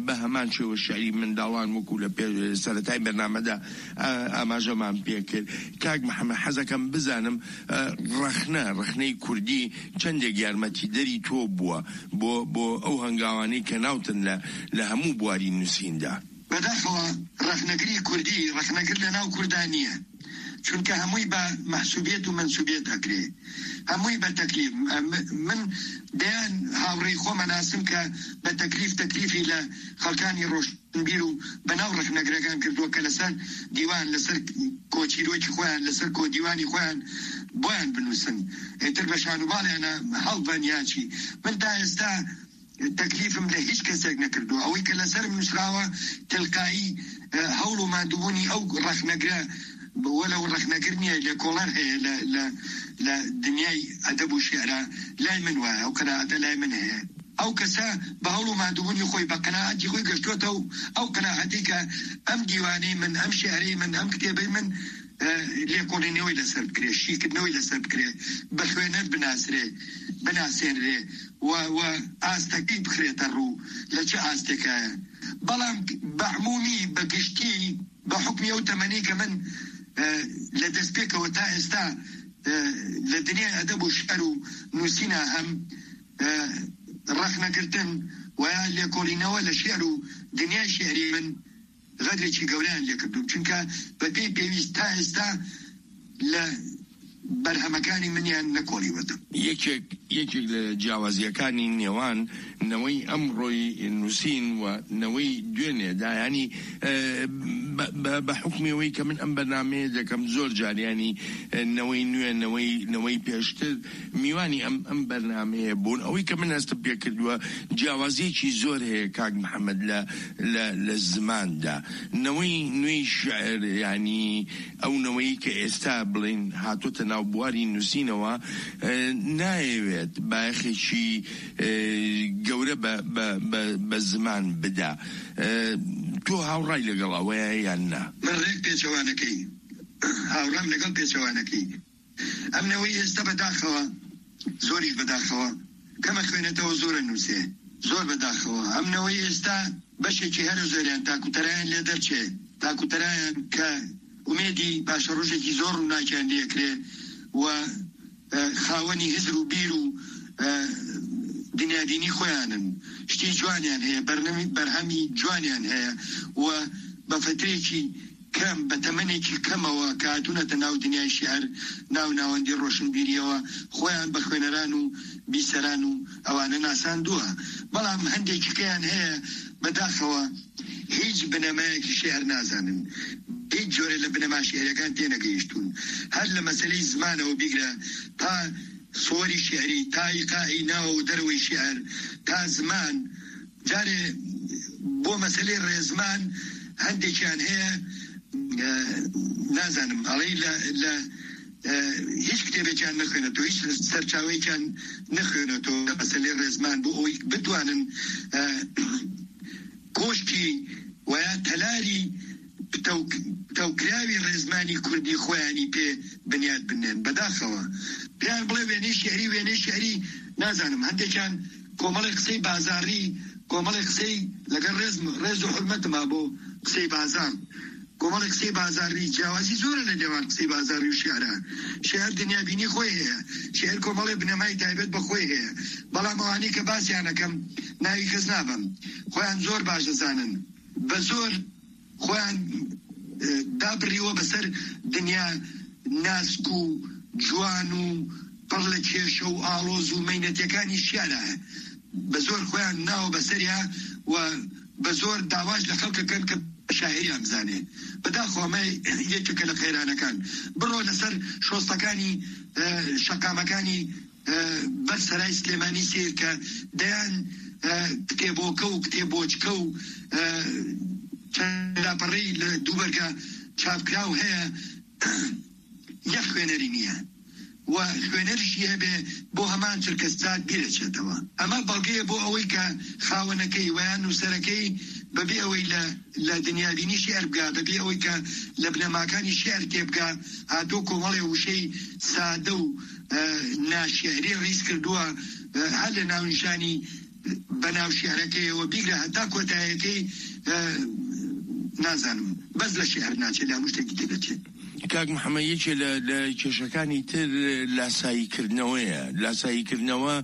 بە هەمان شێوە شعری منداڵان وەکو لە پێ سەرەتای بەرنامەدا ئاماژەمان پێکرد. کاک محەممەد، حەزەکەم بزانم ڕەخنە ڕەخنەی کوردی چەندێک یارمەتیدەری تۆ بووە بۆ بۆ ئەو هەنگاوانەی کە ناوتن لە لە هەموو بواری نووسیندا؟ بەداخەوە ڕەخنەگری کوردی ڕەخنەگر لە ناو کوردا نییە. Çunke hemûyî be mehsûbiyet û mensûbiyet ekirê. Hemûyî be teklîf. Em, min deyan hawrêyî xwe me nasim ke be teklîf, teklîfî li xelkanî roşnbîr û be nav rexnegirekan kirduwe ke li ser dîwan, li ser koçîrokî xwe yan, li ser kodîwanî xwe yan boyan binûsin. Êtir be şanûbalê ne hewlben ya çî. Min ta êsta teklîfim li hîç kesek nekirdo. Ewî ke li ser min nusrawa tilqayî, e, hewl û mandûbûnî ew rexnegire, welew rexnegir niye, lêkolar heye li, li, li dinyay edeb û şi'ra, lay min waya, ew qenaete lay min heye. Ew kese bi hewl û mandûbûnî xwe, bi qenaetî xwe geştote û ew qenaetî ke em dîwanê min, em şi'rê min, em kitêbê min, e, lêkolînê wê li ser bikirê, şîkirinê wê li ser bikirê, bi xwêner binasirê, binasênrê. Wa, wa astekî bixirête rû, li çi asteke ye. Belam bi emûmî, bi giştî, bi hukmî ew temenî ke min, e, li destpêkê we ta êsta, e, li dinyay edeb û şi'r û nûsîna hem, e, rexnegirtin weya lêkolînewe li şi'r û dinyay şi'rî min, xedrêkî gewreyan lê kirdûm. Çunke bi pê pêwîst ta êsta li berhemekanî min yan nekolî wetim. Yekek, yekek li ciyawaziyekani nêwan newey emroyî nusîn we newey dûnê de, yanî, e, be, be, be hukmê wê ke min em bernameyê dekem zor car, yanî, e, newey nû ye, newey, newey pêştir, mîwanî em, em bernameyê bûn. Ewî ke min hestim pê kirduwe, ciyawaziyekî zor heye, kak Mihemed, li, li, li ziman de. Newey nûyê şi'ir, yanî ew neweyî ke êsta, bilên, hatote nav buwarî nusînewa, e, nayewêt bayexekî, e, gewre be, be, be, be ziman bide. E, tu hawray legel ew ye yan na? Min rêk pêçewanekey. Hawram legel pêçewanekey. Em neweyî êsta bedaxewa, zor î bedaxewa. Keme xwênetewa zor e nûsê. Zor bedaxewa. Em neweyî êsta beşekî her zor yan takûterayan lê derçe. Takûterayan ke umêdî paşerojekî zor rûnakiyan lê kirê we, e, xawenî hizr û bîr û, e, dinyadînî xwe yan in. Ştî ciwan yan heye, bernamî-, berhemî ciwan yan heye we be fetrêkî kem, bi temenekî kemewa ke hatûnete nav dinyayê şi'er, nav navendî roşinbîriyewa, xweyan bi xwêneran û bîseran û ewane nasanduwa. Belam hindekî keyan heye, bedaxewa hîç binemeyekî şi'er nazanin. Hîç corê li binema şi'erekan tênegihiştûn. Her li meseleyî zimanewa bigre ta siwarî şi'rî, ta îqaî nawa û derwey şi'er, ta ziman, Carê bo meselê rêzman hindekiyan heye, e, nazanim, aleyh le, le, e, hiç kitêbekiyan nexwêneto, hiç serçawekiyan nexwêneto. Meselê rêzman bo ewî bitwanin, e, koşkî weya telarî bi tewk-, tewkirawî rêzmanî kurdî xweyanî pê binyat binin. Bedaxewa. Pêyan bile wênê şi'rî, wênê şi'rî nazanim. Hindekiyan komelê qisey bazarî, komelê qisey leger rêz, rêz û hurmet ma bo qisey bazar. Komelê qisey bazarî, ciyawazî zor e li nêwan qisey bazarî û şi'ra. Şi'er dinyabînî xwe heye. Şi'er komelê binemayî taybet bi xwe heye. Belam ewanî ke basiyan ekem, navî kes nabim. Xweyan zor baş dizanin. Bi zor xweyan, e, dabirî we bi ser dinya nask û ciwan û pir li kêşe û aloz û meynetekanî şi'ra. Bi zor xweyan nawe be ser ya we bi zor dawaş li xelk dikin ke şaîriyan bizane. Bi daxwa me yekeke li qeyranekan. Biro li ser şostekanî, e, şeqamekanî, e, ber Serayê Silêmanî sêr ke deyan, e, kitêboke û kitêboçke û, e, çend lapereyî li dû berga çapkiraw heye, yek xwênerî niye. We xwêner jî hebe bo heman çirkesat bîre çetewa. Ema belgeyê bo ewey ke xawinekey weya nûserekey bibî ewey li, li dinyabînî şi'er bika, bibî ewey ke li binemakanî şi'er têbika, hato komelê wişey sade û, e, naşi'rî rîz kirduwa, e, her li navnîşanî, e, benav şi'rekê we bîgre heta kotayekê, e, nazanim. Bes li şi'er naçe, li hemû ştekî tê de çê. کاک محەممەد، یەکێ لە، لە کێشەکانی تر لاساییکردنەوەیە. لاساییکردنەوە،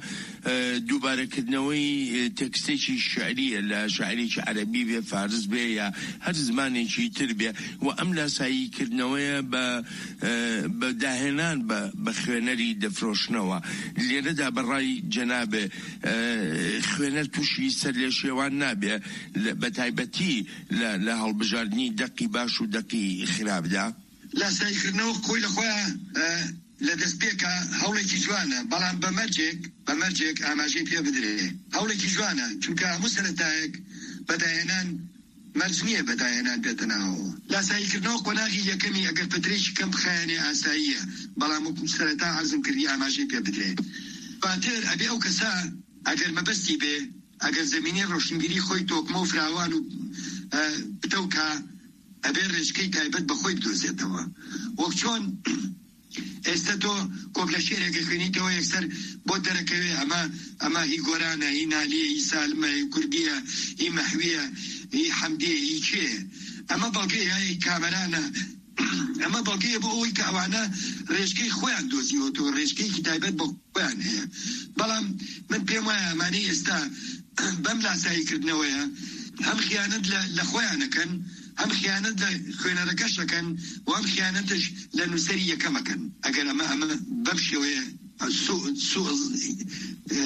ئە، دووبارەکردنەوەی، ئە، تێکستێکی شعریە لە شاعیرێکی عەرەبی بێ، فارس بێ یا هەر زمانێکی تر بێ، و ئەم لاساییکردنەوەیە بە، ئە، بە داهێنان بە، بە خوێنەری دەفرۆشنەوە. لێرەدا بەڕای جەنابێ، ئە، خوێنەر تووشی سەرلێشێوان نابێ، لە، بە تایبەتی لە، لە هەڵبژاردنی دەقی باش و دەقی خراپدا؟ لاساییکردنەوە خۆی لە خۆیان، ئە، لە دەستپێکا هەوڵێکی جوانە، بەڵام بە مەرجێک، بە مەرجێک ئاماژەی پێ بدرێ. هەوڵێکی جوانە، چونکە هەموو سەرەتایەک بەداهێنان مەرج نییە بەداهێنان بێتە ناوەوە. لاساییکردنەوە قۆناغی یەکەمی ئەگەر پەترێکی کەم بخایەنێ ئاساییە، بەڵام وەکو سەرەتا عەرزم کردی ئاماژەی پێ بدرێ. دواتر ئەبێ ئەو کەسە ئەگەر مەبەستی بێ، ئەگەر زەمینەی ڕۆشنبیری خۆی تۆکمە و فراوان و، ئە، پتەوکا، ئەبێ ڕێژکەی تایبەت بە خۆی بدۆزێتەوە. وەک چۆن ئێستا تۆ کۆپلە شعرێکە خوێنیتەوە، یەکسەر بۆ دەرەکەوێ، ئەمە، ئەمە هی گۆرانە، هی نالیە، هی سالمە، هی کوردیە، هی مەحویە، هی حەمدیە، هی کێ؟ ئەمە بەڵگەیە، هی کامەرانە. ئەمە بەڵگەیە بۆ ئەوەی کە ئەوانە ڕێژکەی خۆیان دۆزیوەتەوە، ڕێژکەیەکی تایبەت بە خۆیان هەیە. بەڵام من پێم وایە ئەمانەی ئێستا بەم لاساییکردنەوەیە هەم خیانەت لە، لە خۆیان ئەکەن، هەم خیانەت لە خوێنەرەکەش ئەکەن و هەم خیانەتش لە نووسەری یەکەم ئەکەن. ئەگەر ئەمە، ئەمە بەم شێوەیە سوء، سوء، ئە،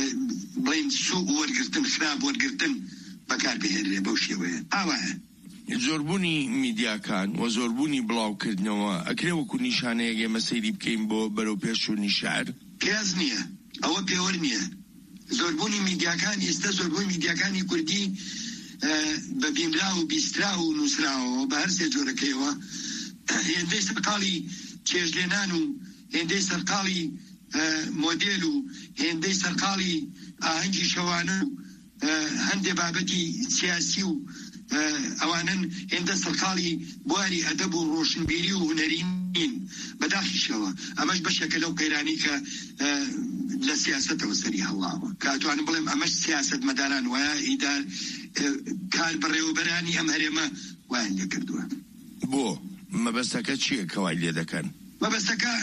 بڵێن سوء وەرگرتن، خراپ وەرگرتن بەکار بهێنرێ بەو شێوەیە. ئاوایە. زۆربوونی میدیاکان و زۆربوونی بڵاوکردنەوە ئەکرێ وەکو نیشانەیەک ئێمە سەیری بکەین بۆ بەرەو پێشچوونی شعر؟ پیاز نییە. ئەوە پێوەر نییە. زۆربوونی میدیاکان، ئێستا زۆربوونی میدیاکانی کوردی، ئە، بە بینرا و بیسترا و نووسراوە بە هەر سێ جۆرەکەیەوە. هێندەی سەرقاڵی چێژلێنان و هێندەی سەرقاڵی، ئە، مۆدێل و هێندەی سەرقاڵی ئاهەنگی شەوانە و، ئە، هەندێ بابەتی سیاسی و، ئە، ئەوانن هێندە سەرقاڵی بواری ئەدەب و ڕۆشنبیری و هونەری نین. بەداخیشەوە ئەمەش بەشێکە لەو قەیرانی کە، ئە، لە سیاسەتەوە سەری هەڵاوە، کە ئەتوانم بڵێم ئەمەش سیاسەتمەداران وایە، ئیدار، ئە، کار بەڕێوەبەرانی ئەم هەرێمە وایان لێ کردووە. بۆ مەبەستەکە چییە کەوای لێ دەکەن؟ مەبەستەکە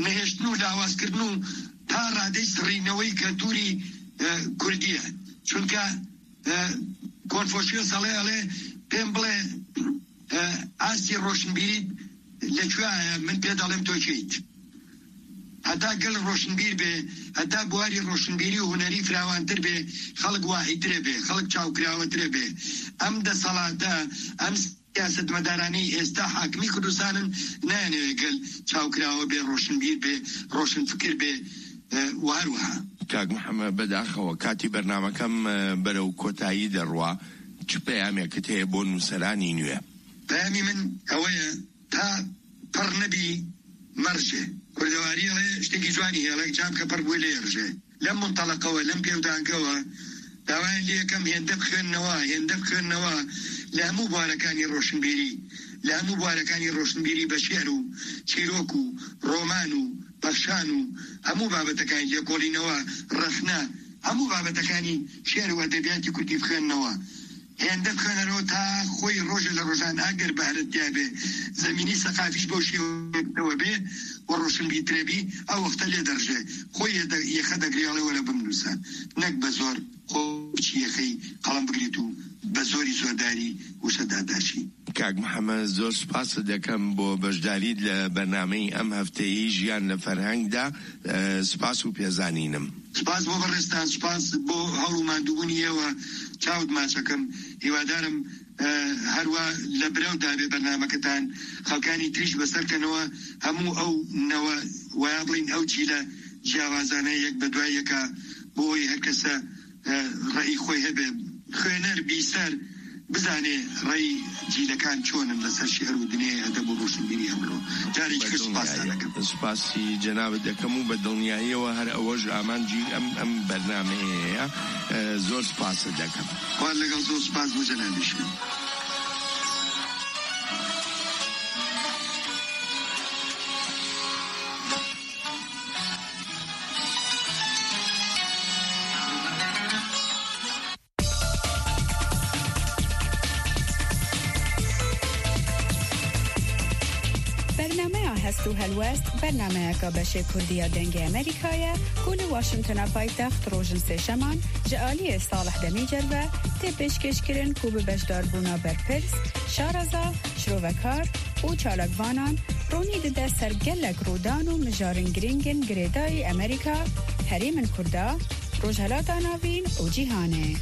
نەهێشتن و لاوازکردن و تا ڕادەی سڕینەوەی کەلتوری، ئە، کوردیە. چونکە، ئە، کۆنفۆشیۆس ئەڵێ، ئەڵێ، پێم بڵێ، ئە، ئاستی ڕۆشنبیری لە کوێیە؟ من پێ دەڵێم تۆ کێیت. هەتا گەل ڕۆشنبیر بێ، هەتا بواری ڕۆشنبیری و هونەری فراوانتر بێ، خەڵک واعیترە بێ، خەڵک چاوکراوەترە بێ. ئەم دەسەڵاتە، ئەم سیاسەتمەدارانەی ئێستا حاکمی کوردستانن، نایانەوێ گەل چاوکراوە بێ، ڕۆشنبیر بێ، ڕۆشنفکر بێ، ئە، و هەروەها. کاک محەممەد، بەداخەوە کاتی بەرنامەکەم، ئە، بەرەو کۆتایی دەڕوا. چ پەیامێکت هەیە بۆ نووسەرانی نوێ؟ پەیامی من ئەوەیە، تا پڕ نەبی مەڕژێ. کوردەواری ئەڵێ شتێکی جوانی هەیە، ئەڵێ جام کە پڕ بووی لێ ڕژێ. لەم منتەڵەقەوە، لەم پێودانگەوە داوایان لێ یەکەم هێندە بخوێننەوە، هێندە بخوێننەوە لە هەموو بوارەکانی ڕۆشنبیری، لە هەموو بوارەکانی ڕۆشنبیری بە شیعر و چیرۆک و ڕۆمان و بەخشان و هەموو بابەتەکانی لێکۆڵینەوە، ڕەخنە، هەموو بابەتەکانی شیعر و ئەدەبیاتی کوردی بخوێننەوە. هێندە بخوێنەرەوە تا خۆی ڕۆژێ لە ڕۆژان ئەگەر بەهرەت تیا بێ، زەمینی سەقافیش بەو شێوەیەوە بێ و ڕۆشنبیرترە بی، ئەو وەختە لێ دەڕژێ. خۆی یێ دە-، یەخە دەگرێ، ئەڵێ وەرە بمنووسە. نەک بە زۆر خۆ بچی یەخەی قەڵەم بگریت و بە زۆری زۆرداری وشە داداشی. کاک محەممەد، زۆر سپاست دەکەم بۆ بەشداریت لە بەرنامەی ئەم هەفتەیەی ژیان لە فەرهەنگدا. ئە، سپاس و پێزانینم. سپاس بۆ بەڕێزتان، سپاس بۆ هەوڵ و ماندووبوونی ئێوە. چاوت ماچەکەم. هیوادارم، ئە، هەروە لە برەودا بێ بەرنامەکەتان، خەڵکانی تریش بەسەرکەنەوە، هەموو ئەو نەوە، ویا بڵین ئەو جیلە جیاوازانە یەک بە دوای یەکە، بۆ ئەوەی هەر کەسە، ئە، ڕێی خۆی هەبێ. خوێنەر، بیسەر بزانێ ڕێی جیلەکان چۆنن لەسەر شیعر و دنیای ئەدەب و ڕۆشنبیری ئەمڕۆ. جارێکی تر سپاستان دەکەم. سپاسی جەنابت دەکەم و بە دڵنیاییەوە هەر ئەوەش ئامانجی ئەم، ئەم بەرنامەیەیە. ئە، زۆر سپاست دەکەم. خوار لەگەڵ زۆر سپاس بۆ جەنابیشم. Bernameya Hest û Helwest, bernameyeka beşê Kurdî ya Dengê Amerîka ye, ku li Washingtona paytext rojin sêşeman ji aliyê Salih Demîcer ve tê pêşkêşkirin, ku bi beşdarbûna berpirs, şareza, şirovekar û çalakvanan ronî dide ser gelek rûdan û mijarên girîng in girêdayî Amerîka, herêmên Kurda, Rojhelata Navîn û cîhanê.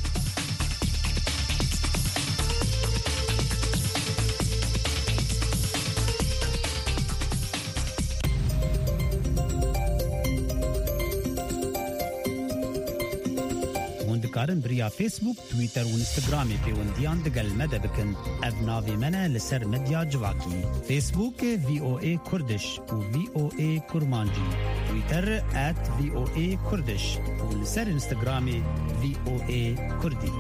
Hûn dikarin bi riya Facebook, Twitter û Instagramê pêwendiyan digel me de bikin. Ev navê me ne li ser medya civakî. Facebook, V O A Kurdish û V O A Kurmancî. Twitter at V O A Kurdish û li ser Instagramê V O A Kurdî.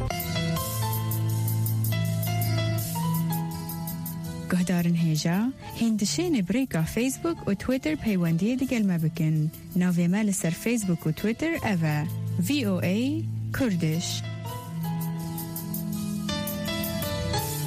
Guhdarên hêja, hîn dişêne bi rêka Facebook û Twitter peywendiyê digel me bikin. Navê me li ser Facebook û Twitter ev e, V O A Kurdish.